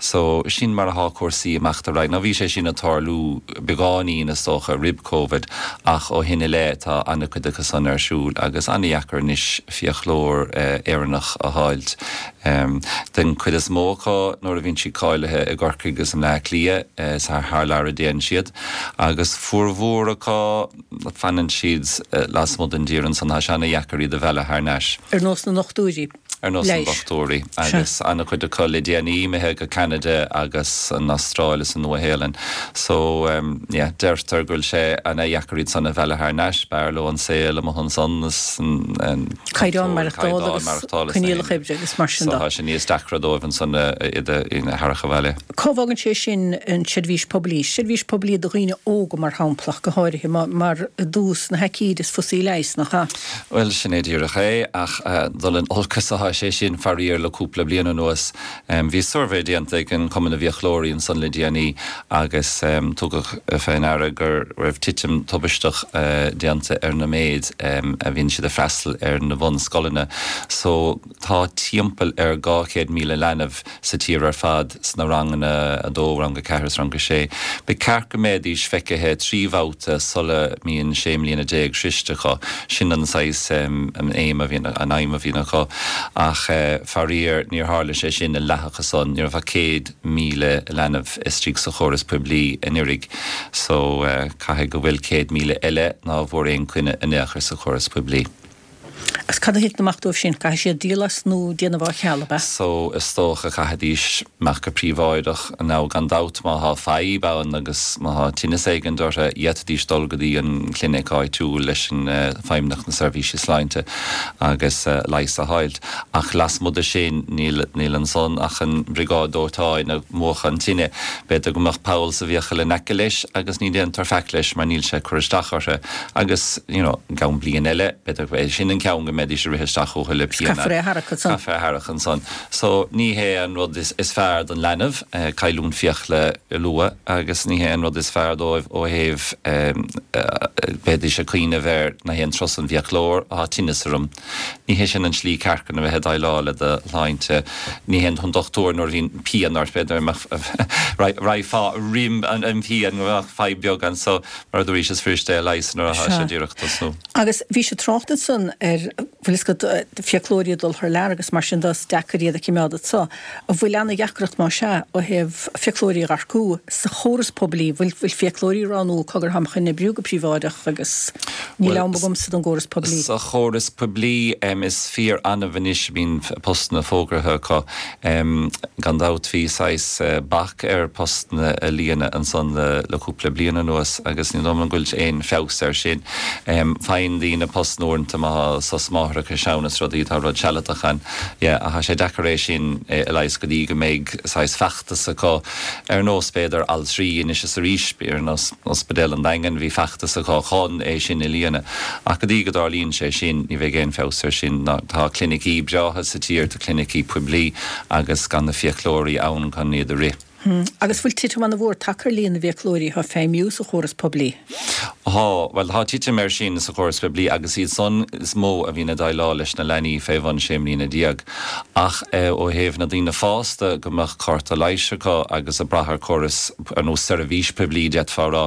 So sin mar atá cúrsaí amach ar aghaidh. Now bhí sé sin ag tarlú beagáinín is dócha roimh COVID ach ó shin i leith tá an-chuid acu san ar siúl agus an-deacair anois fiaclóir eh, Éireannach a fháilt. Um, den chuid is mó acu nuair a bhíonn siad cáilithe i gCorcaigh agus i mBleá Cliath eh, sa thar lear a dtéann siad agus formhór acu fanann siad eh, lasmuigh den dtír ansan tá sé an-deacair iad a mhealladh thar n-ais. Ar nós na ndochtúirí. Ar nós na dochtúirí agus an-chuid acu le déanaí imithe go Canada agus an Astráil is an Nua-Shéalainn. So um, yeah, deirtear go bhfuil sé an-deacair iad san a mhealladh thar n-ais b'fhearr leo an saol amuigh ansan Caighdeán maireachtála agus coinníollacha oibre agus mar sin So tá sé níos deacra dóibh ansan iad a tharrac abhaile. Cá bhfágann sé sin an seirbhís poiblí, seirbhís poiblí do dhaoine óga mar shampla go háirithe mar i dtús na haicíde is fusaí leigheas nach ea? Well sin é díreach é ach uh, dul in olcas atá sé sin faraor le cúpla bliain anuas. Um, bhí suirbhé déanta ag an Cumann na bhFiaclóirí ansan le déanaí agus um, tugadh fé ndeara go raibh titim tubaisteach uh, déanta ar na méid um, a bhíonn siad ag freastal ar na bunscoileanna. So tá timpeall ar dhá chéad míle leanbh sa tír ar fad sna ranganna a dó rang a ceathair rang a sé. Ba cheart go mbeidís feicthe trí bhabhta sula mbíonn sé mbliana déag sroichte acu sin an saghas um, an aim a bhíonn an aidhm a bhíonn acu ach uh, faraor níor tharla sé sin i leath acu san ní raibh ach céad míle leanbh istigh sa chóras poiblí anuraidh so uh, caithfidh go bhfuil céad míle eile ná bhfuair aon choinne in aon chor sa chóras poiblí. Agus cad a thit amach dóibh sin caithfidh siad díol as nó déanamh á cheal ab ea? So is dócha caithfidís amach go príobháideach nó gan dabht má tá fadhb ann agus má tá tinneas éigin orthu d'fhéadfaidís dul go dtí an clinic áitiúil leis an uh, Feidhmeannacht na Seirbhíse Sláinte agus uh, leigheas a fháilt. Ach lasmuigh de sin níl níl ansan ach an briogáid dóiteáin ag múchadh an tine, B'fhéidir go mbeadh poll sa bhfiacail in aice leis agus ní déantar faic leis mar níl sé cur isteach orthu agus you know, gan bliain eile b'fhéidir sin an ceann go mbeidís ag rith isteach chucu le pian. Caithfear é a tharrac ansan. Caithfear é a tharrac ansan. So ní hé an rud is, is fearr don leanbh eh, cailliúint fiacla luath agus ní hé an rud is fearr dóibh ó thaobh um, uh, bheidís ag cuimhneamh ar na haon turas an bhfiaclóir tá tinneas orm. Ní hé sin an slí ceart chun a bheith déileáil le do shláinte ní hé an dochtúir nuair a bhíonn pian ort b'fhéidir raghfá roimh an an pian go bheadh fadhb beag anso mar dúís is fuiriste é leigheas nuair atá sé díreach tosnú. Agus bhí sé trácht ansan ar bhfuil a fhios agat fiaclóirí dul thar lear agus mar sin is deacair iad a choimeád anseo. An bhfuil an-deacracht mar sin ó thaobh fiaclóirí a earcú sa chóras poiblí bhfuil bhfuil fiaclóirí ag rá cogar táim chun oibriú go príobháideach agus níl am agamsa don gcóras poiblí. Sa chóras poiblí um, is fíor annamh anois a bhíonn postanna fógartha acu um, gan dabht bhí saghas uh, bac ar postanna a líonadh ansan le, le cúpla bliain anuas agus ní dóigh liom go bhfuil aon feabhas air sin. Um, Faigheann daoine post uaireanta má sos máithreachais ann is rudaí tá rud sealadach ann ach tá sé deacair é sin a leigheas go dtí go mbeidh saghas feachtas acu ar nós b'fhéidir altraí anois is arís ar nós Ospidéal an Daingin bhí feachtas acu chun é sin a líonadh ach go dtí go dtarlaíonn sé sin ní bheidh aon feabhas air sin tá clinicí breátha sa tír tá clinicí poiblí agus gan na fiaclóirí ann chun iad a rith. Hmm. Agus bhfuil titim an-mhór tagtha ar líon na bhfiaclóirí atá ag feidhmiú sa chóras poiblí. Tá well tá titim air sin sa chóras poiblí agus iad san is mó a bhíonn ag déileáil leis na leanaí fé bhun sé mbliana déag. Ach eh, ó thaobh na daoine fásta go mbeadh cárta leighis acu agus ag brath ar chóras ar nós seirbhís poiblí d'fhéadfá a rá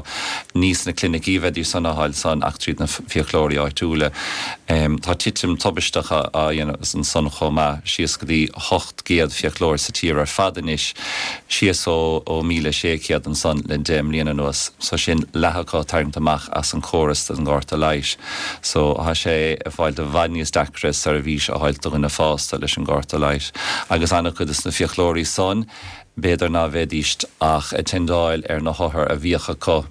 ní sna clinicí a bheidís san á fháil san ach tríd na fiaclóirí áitiúla. Um, tá titim tubaisteach á dhéanamh ansan chomh maith síos go dtí ocht gcéad fiaclóir sa tír ar fad anois síos ó ó míle sé chéad ansan le deich mbliana anuas, so sin leath acu tarraingthe amach as an chóras den gcárta leighis. So tá sé ag fáil i bhfad níos deacra seirbhís a fháil do dhuine fásta leis an gcárta leighis. Agus an-chuid de na fiaclóirí san, b'fhéidir ná bheidís ach ag teindeáil ar na hothair a bhíodh acu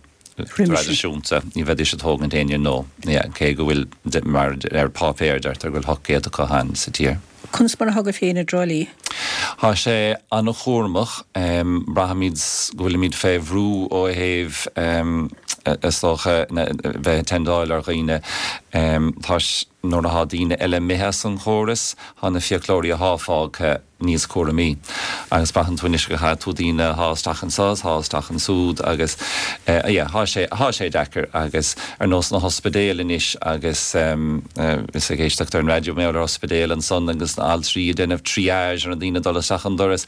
Traidisiúnta, ní bheidís ag tógaint éinne nua, yeah, cé go bhfuil mar ar páipéar deirtear go bhfuil ocht gcéad acu ann sa tír. Conas mar atá agaibh féin i dTrá Lí? Tá sé an-chúramach, braithimid go bhfuilimid fé bhrú ó thaobh is dócha bheith ag tendáil ar dhaoine. Tá nuair atá daoine eile imithe as an chóras, tá na fiaclóirí atá fágtha níos cúramaí. Agus braitheann tú anois go gcaithfidh tú daoine a shá isteach anso is a shá isteach ansúd agus yeah, thá sé, thá sé deacair agus ar nós na hospidéil anois agus is ag éisteacht ar an raidió mé ar ospidéal ansan agus na altraí ag déanamh triage ar na daoine ag dul isteach an doras.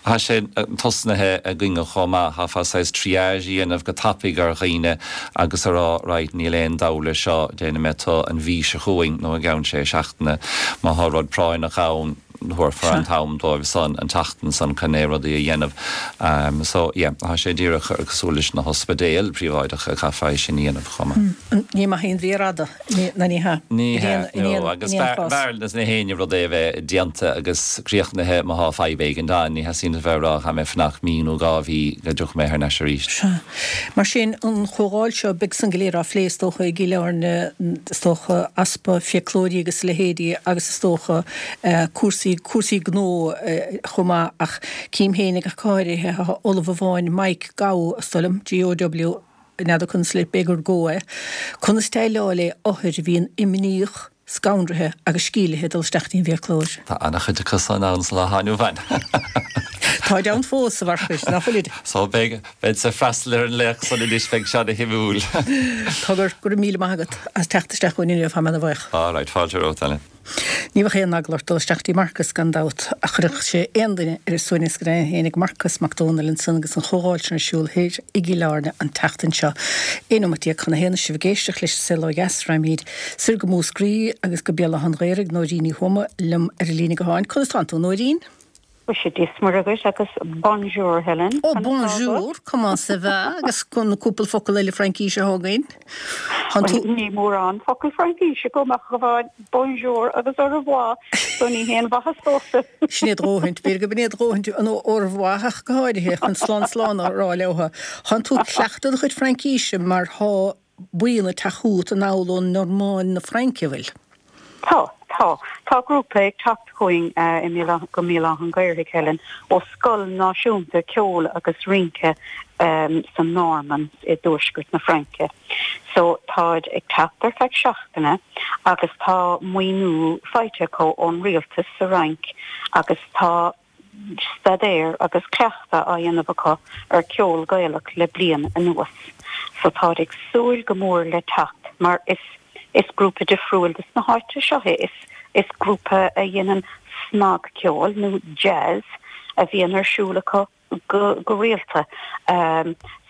Thá sé tosnaithe againne chomh maith, chaithfeá saghas triage a dhéanamh go tapaidh ar dhaoine agus a rá right níl aon dabht leis seo, déanfaidh mé tu an mhí seo chugainn nó i gceann sé seachtaine má thá rud práinneach ann. thabharfar an t-am dóibh san an tseachtain san chun é rudaí a dhéanamh. So yeah, tá sé díreach cosúil leis na hospidéil príobháideacha caithfear é sin a dhéanamh chomh maith. Ní maith aon mhír fhada, ná ní hea. Ní hea, no, agus b'fhearr leis na héinne rud é a bheith déanta agus críochnaithe má thá fadhb éigin ann, ní theastaíonn a bheith ag rá caithfidh mé fanacht mí nó dhá mhí go dtiocfaidh mé thar n-ais arís. Sea. Mar sin, an chomhdháil seo, beidh san go léir á phlé is dócha i gCill Airne, is dócha, easpa fiaclóirí agus a leithéidí agus is dócha cúrsaí cúrsaí gnó chomh maith ach cím féin ach go háirithe tá ollamh amháin Mike Gow is dóigh liom, GOW, n'fheadar conas le b'fhéidir gur Go é, conas déileáil le othair a bhíonn imníoch, scanraithe agus scílithe ag dul isteach dtí an bhfiaclóir. Tá an-chuid acu san ann sa lá atá inniu ann. Táid ann fós, a Mharcais, nach bhfuilid? So beidh, beidh ag freastal ar an léacht san anois, beidh sé ana-shuimiúil. Togar, go raibh míle maith agat as teacht isteach chugainn inniu, tá mé ana-bhuíoch. All right, fáilte romhat, Ellen. Ní bheadh aon eagla ort dul isteach dtí Marcas gan dabht, ach chuirfeadh sé aon duine ar a suaimhneas go deimhin fhéinig Marcas Mac Dónaill ansan agus an chomhdháil sin ar siúl thoir i gCill Airne an tseachtain seo. Aon nóimeat déag chun a haon is sibh ag éisteacht leis An Saol Ó Dheas, raghaimid soir go Múscraí agus go Béal Átha an Ghaorthaidh, Nóirín Ní Thuama liom ar an líne gutháin. Conas tánn tú, Nóirín? Mhuise, Dia is Muire dhuit agus bonjour Helen. Oh bonjour, comment ça va? Agus na cúpla focal eile Fraincíse atá againn. Tánn tú. Ní mórán focal Fraincíse agam ach amháin bonjour agus au revoir, so ní haon mhaitheas domhsa. Sin é do dhóthaint, b'fhéidir go b'in é do dhóthaint an au revoir ach go háirithe chun slán slán a rá leotha. Tánn tú ag cleachtadh do chuid Fraincíse mar thá buíon ag teacht chugat anall ón Normáin na Fraince, an bhfuil? Tá, tá. Tá grúpa ag teacht chugainn i mBéal Átha, go mBéal Átha an Ghaorthaidh, Helen, ó Scoil Náisiúnta Ceoil agus Rince sa Normainn i dtuaisceart na Fraince. So táid ag teacht ar feadh seachtaine agus tá maoiniú faighte acu ón rialtas sa Fhrainc agus tá staidéar agus cleachtadh á dhéanamh acu ar ceol Gaelach le bliain anuas. So táid ag súil go mór le teacht mar is Is grúpa difriúil dos na háite seo é. Is is grúpa a dhéanann snagcheol nó jazz a bhíonn ar siúl acu go go rialta.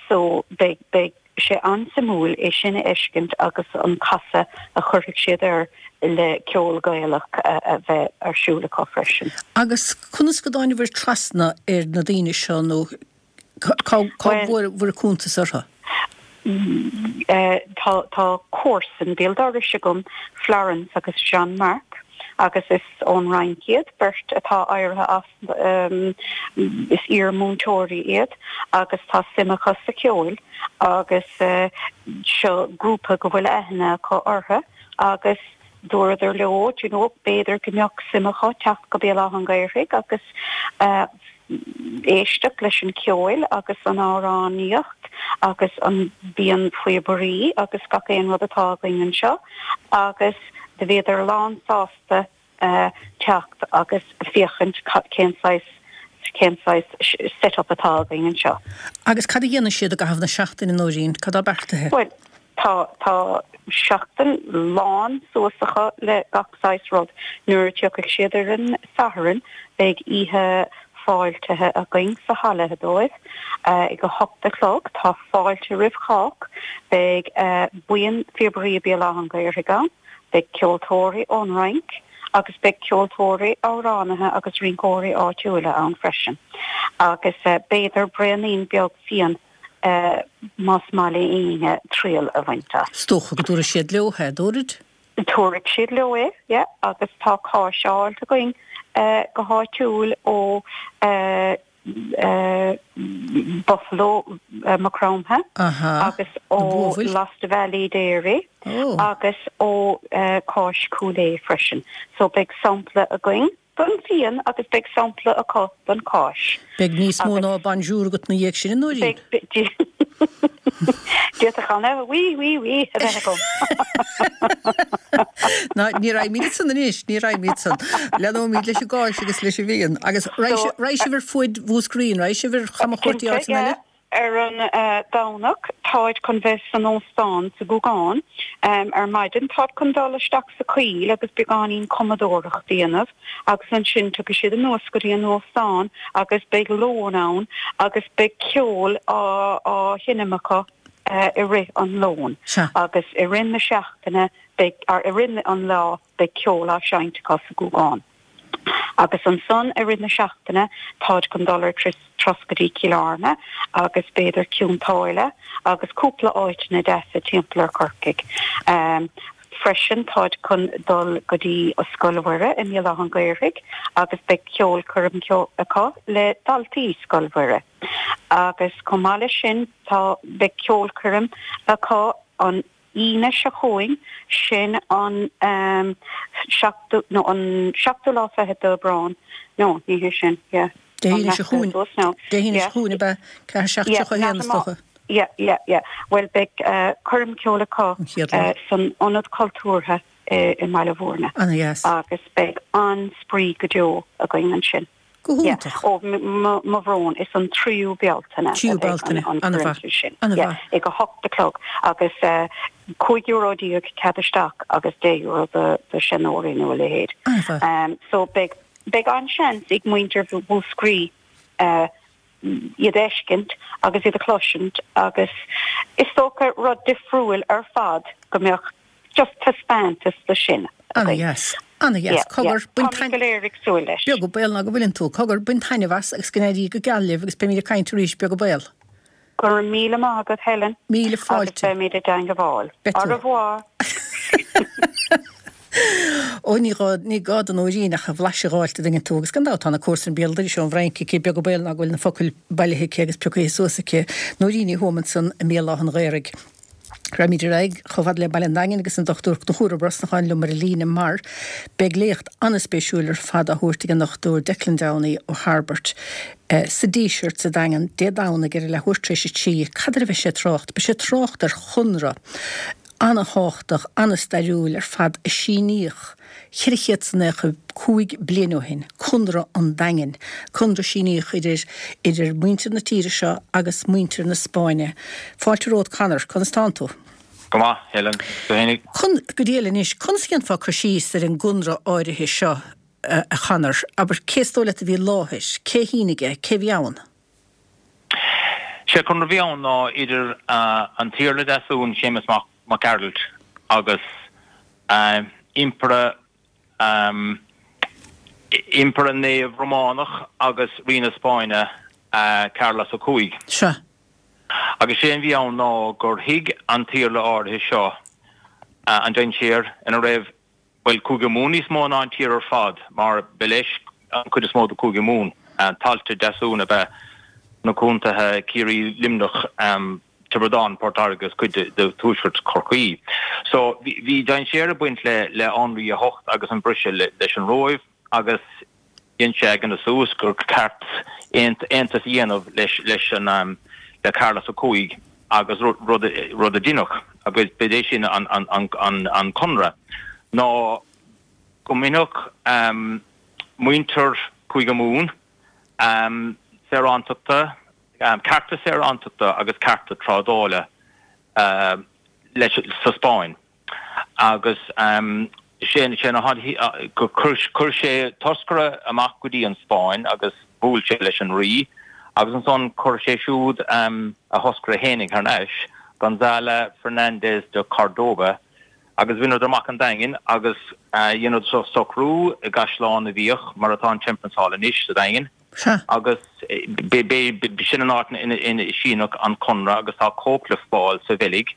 So beidh beidh sé an-suimiúil é sin a fheiscint agus an casadh a chuirfidh siad air le ceol Gaelach a bheith ar siúl acu freisin. Agus conas go dtáinabhair trasna ar na daoine seo nó Cá bhfuair cuntas orthu? Tá tá comharsan béal dorais agam, Florence agus Jean Marc, agus is ón Fhrainc iad, beirt atá éirithe as, is iar-mhúinteoirí iad agus tá suim acu sa cheol agus seo grúpa go bhfuil aithne acu orthu agus dúradar leo, do you know, b'fhéidir go mbeadh suim acu teacht go Béal Átha an Ghaorthaidh agus éisteacht leis an cheol agus an amhránaíocht agus an buíon phíobairí agus gach aon rud atá againn anseo agus do bhíodar lán sásta teacht agus féachaint cén saghas cén saghas set up atá againn anseo. Agus cad a dhéanfaidh siad i gcaitheamh na seachtaine, Nóirín? Cad tá beartaithe? Bhuel, tá tá seachtain lán suas acu le gach saghas rud. Nuair a tiocfaidh siad ar an Satharn beidh oíche fáiltithe againn sa halla dóibh ag a hocht a chlog. Tá fáilte roimh chách. Beidh buíon phíobairí Béal Átha an Ghaorthaidh ann, beidh ceoltóirí ón Fhrainc agus beidh ceoltóirí, amhránaithe agus rinceoirí áitiúla ann freisin. Agus b'fhéidir braonín beag fíon más maith le éinne triail a bhaint as. Is dócha go dtabharfaidh siad leo é, dtabharfaidh? Tabharfaidh siad leo é, yeah, agus tá cáis á fháilt againn go háitiúil ó Buffalo Maigh Chromtha agus ó Lost Valley Dairy agus ó Cáis Chúil Aodha freisin. So beidh sampla againn don fíon agus beidh sampla acu don cáis. Beidh níos mó ná bonjour agat ina dhiaidh sin, a Nóirín. D'fhéadfadh an oui, oui, oui a bheith agam. Ná ní raghaimid ansan anois, ní raghaimid ansan. Leanóimid leis an gcáis agus leis an bhfíon. Agus raghaidh sibh ar fuaid Mhúscraí, an raghaidh sibh ar chamchuairt áiteanna eile? Ar an Domhnach, táid chun bheith san óstán sa Ghúgán ar maidin. Táid chun dul isteach sa choill agus beagáinín cumadóireacht a dhéanamh agus ansin tiocfaidh siad anuas go dtí an óstán agus beidh lón ann agus beidh ceol á sheinm acu i rith an lóin. Agus i rith na seachtaine beidh, or i rith an lá beidh ceol á seinnt acu sa Ghúgán. Agus ansan i rith na seachtaine táid chun dul ar turas go dtí Cill Airne agus b'fhéidir Cionn tSáile agus cúpla áiteanna deasa timpeall ar Chorcaigh. Freisin táid chun dul go dtí Scoil Mhuire i mBéal Átha an Ghaorthaidh agus beidh ceolchoirm acu le daltaí Scoil Mhuire. Agus chomh maith leis sin tá beidh ceolchoirm acu an Aoine seo chugainn, sin an seachtú, nó an seachtú lá fichead d'Aibreán, no, ní hé sin, yeah. Dé hAoine seo chugainn, Dé hAoine seo chugainn ab ea? Ceathair seacht tríocha a haon is dócha. Yeah, yeah, yeah. Bhuel, beidh coirm ceoil acu san Ionad Cultúrtha i mBaile Mhúirne. Ana-dheas. Agus beidh an-spraoi go deo againn ansin. Go hiontach. Ó, mo bhrón, is an tríú Bealtaine a Tríú bheidh Bealtaine, an ana-mhaith, choirm sin. ana-mhaith. Yeah, ag a hocht a chlog agus cúig euro déag cead isteach agus deich euro do do sheanóirí nó a leithéid. Ana-mhaith. So beidh beidh an-seans ag muintir Mhúscraí iad a fheiscint agus iad a chloisint agus is dócha rud difriúil ar fad go mbeadh Just taispeántas de sin againn. Ana-dheas. Ana-dheas. Cogar, bain Táimid go léir ag súil leis. Beag an baol ná go bhfuileann tú. Cogar, bain taitneamh as agus go n-éirí go geal libh agus beimid ag caint arís, beag an baol. Go raibh míle maith agat Helen. Míle fáilte. Agus beimid i dteangabháil. Beidh tú. Au revoir. Ó, ní gá, ní gá do Nóirín ach a bhlaiseadh a dh'fháilt a dtuigeann tú, agus gan dabht tá na comharsain béal dorais ón bhFrainc aici, beag an baol ná go bhfuil na focail bailithe aici agus pioctha suas aici. Nóirín Ní Thuama ansan i mBéal Átha an Ghaorthaidh. Raghaimid ar aghaidh chomh fada le Baile an Daingin agus an Dochtúir Conchúr Ó Brosnacháin liom ar an líne mar beidh léacht an-spéisiúil ar fad á thabhairt ag an Dochtúir Declan Downey ó Tharbairt sa Díseart sa Daingean Dé Domhnaigh ar a leathuair tar éis a trí. Cad air a bheidh sé ag trácht? Beidh sé ag trácht ar chonradh an-thábhachtach, an-stairiúil ar fad a síníodh cheithre chéad 's naocha cúig bliain ó shin, Conradh an Daingin, conradh a síníodh idir idir muintir na tíre seo agus muintir na Spáinne. Fáilte romhat Conor, conas tánn tú? Go maith, Helen. Tú fhéinig? Con, go diail anois, conas a dhéanfá cur síos ar an gconradh áirithe seo, a Chonor? Abair, cé is dóigh leat a bhí i láthair? Cé a shínigh é? Cé a bhí ann? Sé conradh a bhí ann ná idir an tIarla Deasún, Séamus Mac Gearailt, agus Impire Impire Naomh Rómánach agus Rí na Spáinne, Carlos a Cúig. Sea. Agus sé an bhí ann ná gur thuig an tIarla áirithe seo an dainséar ina raibh, bhuel, Cúige Mumhan níos mó ná an tír ar fad, mar ba leis an chuid is mó de Chúige Mumhan. Tailte Deasún ab ea na contaetha Ciarraí, Luimneach, Tiobraid Árann, Port Láirge agus cuid de tuaisceart Chorcaí. So bhí dainséar ag baint le le Anraí a hOcht agus an briseadh leis an Róimh agus dhein sé a chinneadh suas gur ceart aontas a dhéanamh leis leis an le Carlos a Cúig agus rud rud a deineadh agus b'é sin an an an an conradh ná go mbainfeadh muintir Chúige Mumhan saorántachta cearta saorántachta agus cearta trádála leis sa Spáinn agus sé sé na chuir sé toscaire amach go dtí an Spáinn agus bhuail sé leis an rí agus ansan chuir sé siúd a thoscaire fhéinig thar n-ais, Gonzalo Fernández de Cordoba agus bhaineadar amach an Daingean agus dheineadar socrú i gCaisleán na bhFiach mar atá an Temperance Hall anois sa Daingean. Sea. Agus b'shin an áit ina síneadh an conradh agus tá cóip le fáil sa Bheilg,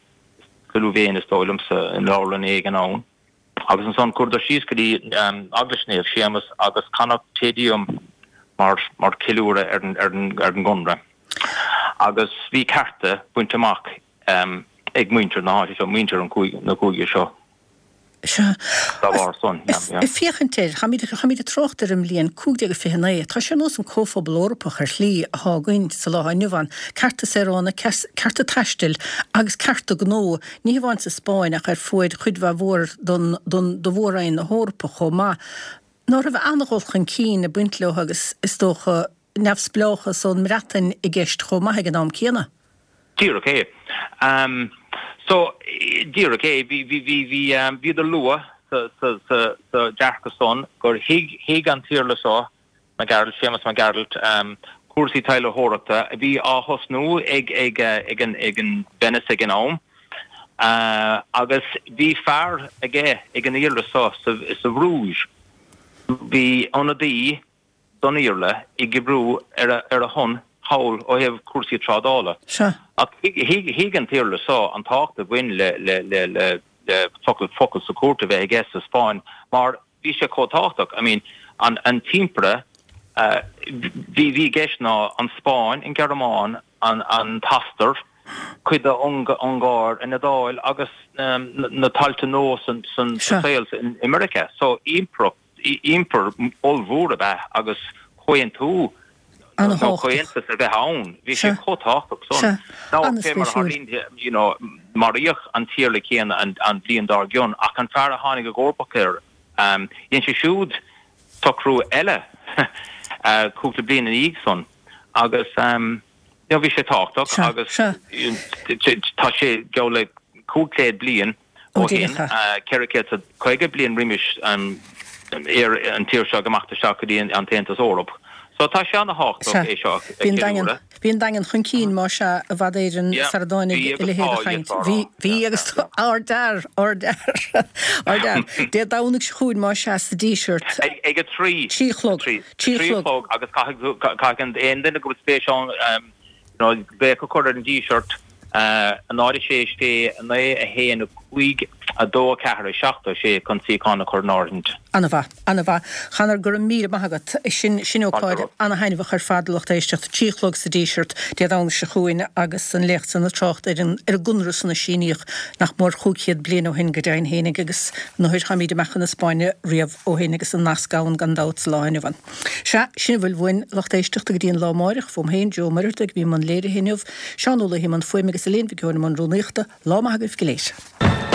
sa Louvain is dóigh liomsa, i leabharlann éigin ann. Agus ansan chuadar síos go dtí Eaglais Naomh Séamus agus canadh Te Deum mar mar ceiliúradh ar an ar an ar an gconradh. Agus bhí cearta bainte amach um, ag muintir na háite seo, muintir an cúig, na cúige seo. Sea. Dá bharr san, Is yeah. ag féachaint air, táimid táimid ag trácht ar an mbliain cúig déag fiche naoi, tá sé ar nós an Comhphobal Eorpach ar shlí atá againn sa lá inniu ann, cearta saoránaigh, cearta taistil agus cearta gnó, ní hamháin sa Spáinn ach ar fuaid chuid mhaith mhór don don do mhór-roinn na hEorpa chomh maith. Ná raibh an-dhul chun cinn ag baint leo agus is dócha neamhspleáchas ón mBreatain i gceist chomh maith ag an am céanna? Díreach é. Um, so, díreach é, bhí bhí bhí bhí um, bhíodar luath sa sa sa sa dearcadh san gur thuig thuig an tIarla seo Mac Gearailt, Séamus Mac Gearailt, um, cúrsaí taidhleoireachta a bhí á thosnú ag ag ag an ag an Venice ag an am. Uh, agus bhí fear aige ag an Iarla seo sa, sa Bhruges. Bhí ionadaí don Iarla ag oibriú ar a, ar a shon thall ó thaobh cúrsaí trádála. Sea. Ach thuig an tIarla seo an tábhacht a bhain le le le le le focal focal sa chúirt a bheith aige sa Spáinn mar bhí sé chomh tábhachtach. I mean, an an tImpire uh, bhí bhí i gceist ná an Spáinn, an Ghearmáin, an an tOstair, cuid de Ungáir, an Iodáil agus um, na, na tailte nua san san Sea. saol in America. So impireacht impire ollmhór ab ea agus comhaontú nó An-tábhachtach. comhaontas a bheith ann. Bhí sé Sea. chomh tábhachtach Sea. san. Ná fé mar An-spéisiúil. tharlaíonn, you know, maraíodh an tIarla céanna an, an bhliain dár gcionn ach an fear a tháinig i gcomharbacht air um, dhein sé siúd socrú eile uh, cúpla bliain ina dhiaidh san agus um, you know, bhí sé tábhachtach Sea, agus sea. tá sé geall le cúig chéad bliain Ó, ó shin díreach é. uh, ceithre chéad is caoga bliain roimis um, ar an tír seo go amach isteach go dtí an an tAontas Eorpach. So tá sé an-tábhachtach Sea. é seo a Bhí an daingean cheiliúradh. bhí an daingean chun cinn má sea i bhfad Éireann Yeah. sar a dtáinig Bhí a agus leithéid a tá, chaint. iad Bhí rá. bhí Yeah, agus yeah, ardfhear ardfhear ardfhear. Dé Domhnaigh seo chugainn má sea sa Díseart. Ag ag a trí Trí chlog. trí Trí trí chlog. chlog agus caithfidh caithfidh aon duine go bhfuil spéis ann um, you know, glaoch a chur ar an Díseart uh, a náid sé sé naoi a haon a cúig a dó a ceathair a seacht a sé chun suíochán a chur in áirithint. An-mhaith, an-mhaith. Conor go raibh míle maith agat sin sin ócáid Fáilte. an-thaitneamhach ar fad lucht éisteachta trí chlog sa Díseart Dé Domhnaigh seo chugainn agus an léacht san ag trácht ar an ar an gconradh san a síníodh nach mór cúig chéad bliain ó shin go deimhin fhéinig agus nár tháimid amach chun na Spáinne riamh ó shin agus an nasc ann gan dabht sa lá inniu ann. Sea, sin a bhfuil uainn lucht éisteachta go dtí an lá amárach fóm féin Joe Muireadhach bhí i mbun léirithe inniu, Seán Ó Laoi i mbun fuaime agus Elaine Mhic Eoin i mbun rúnaíochta, lá maith agaibh go léir.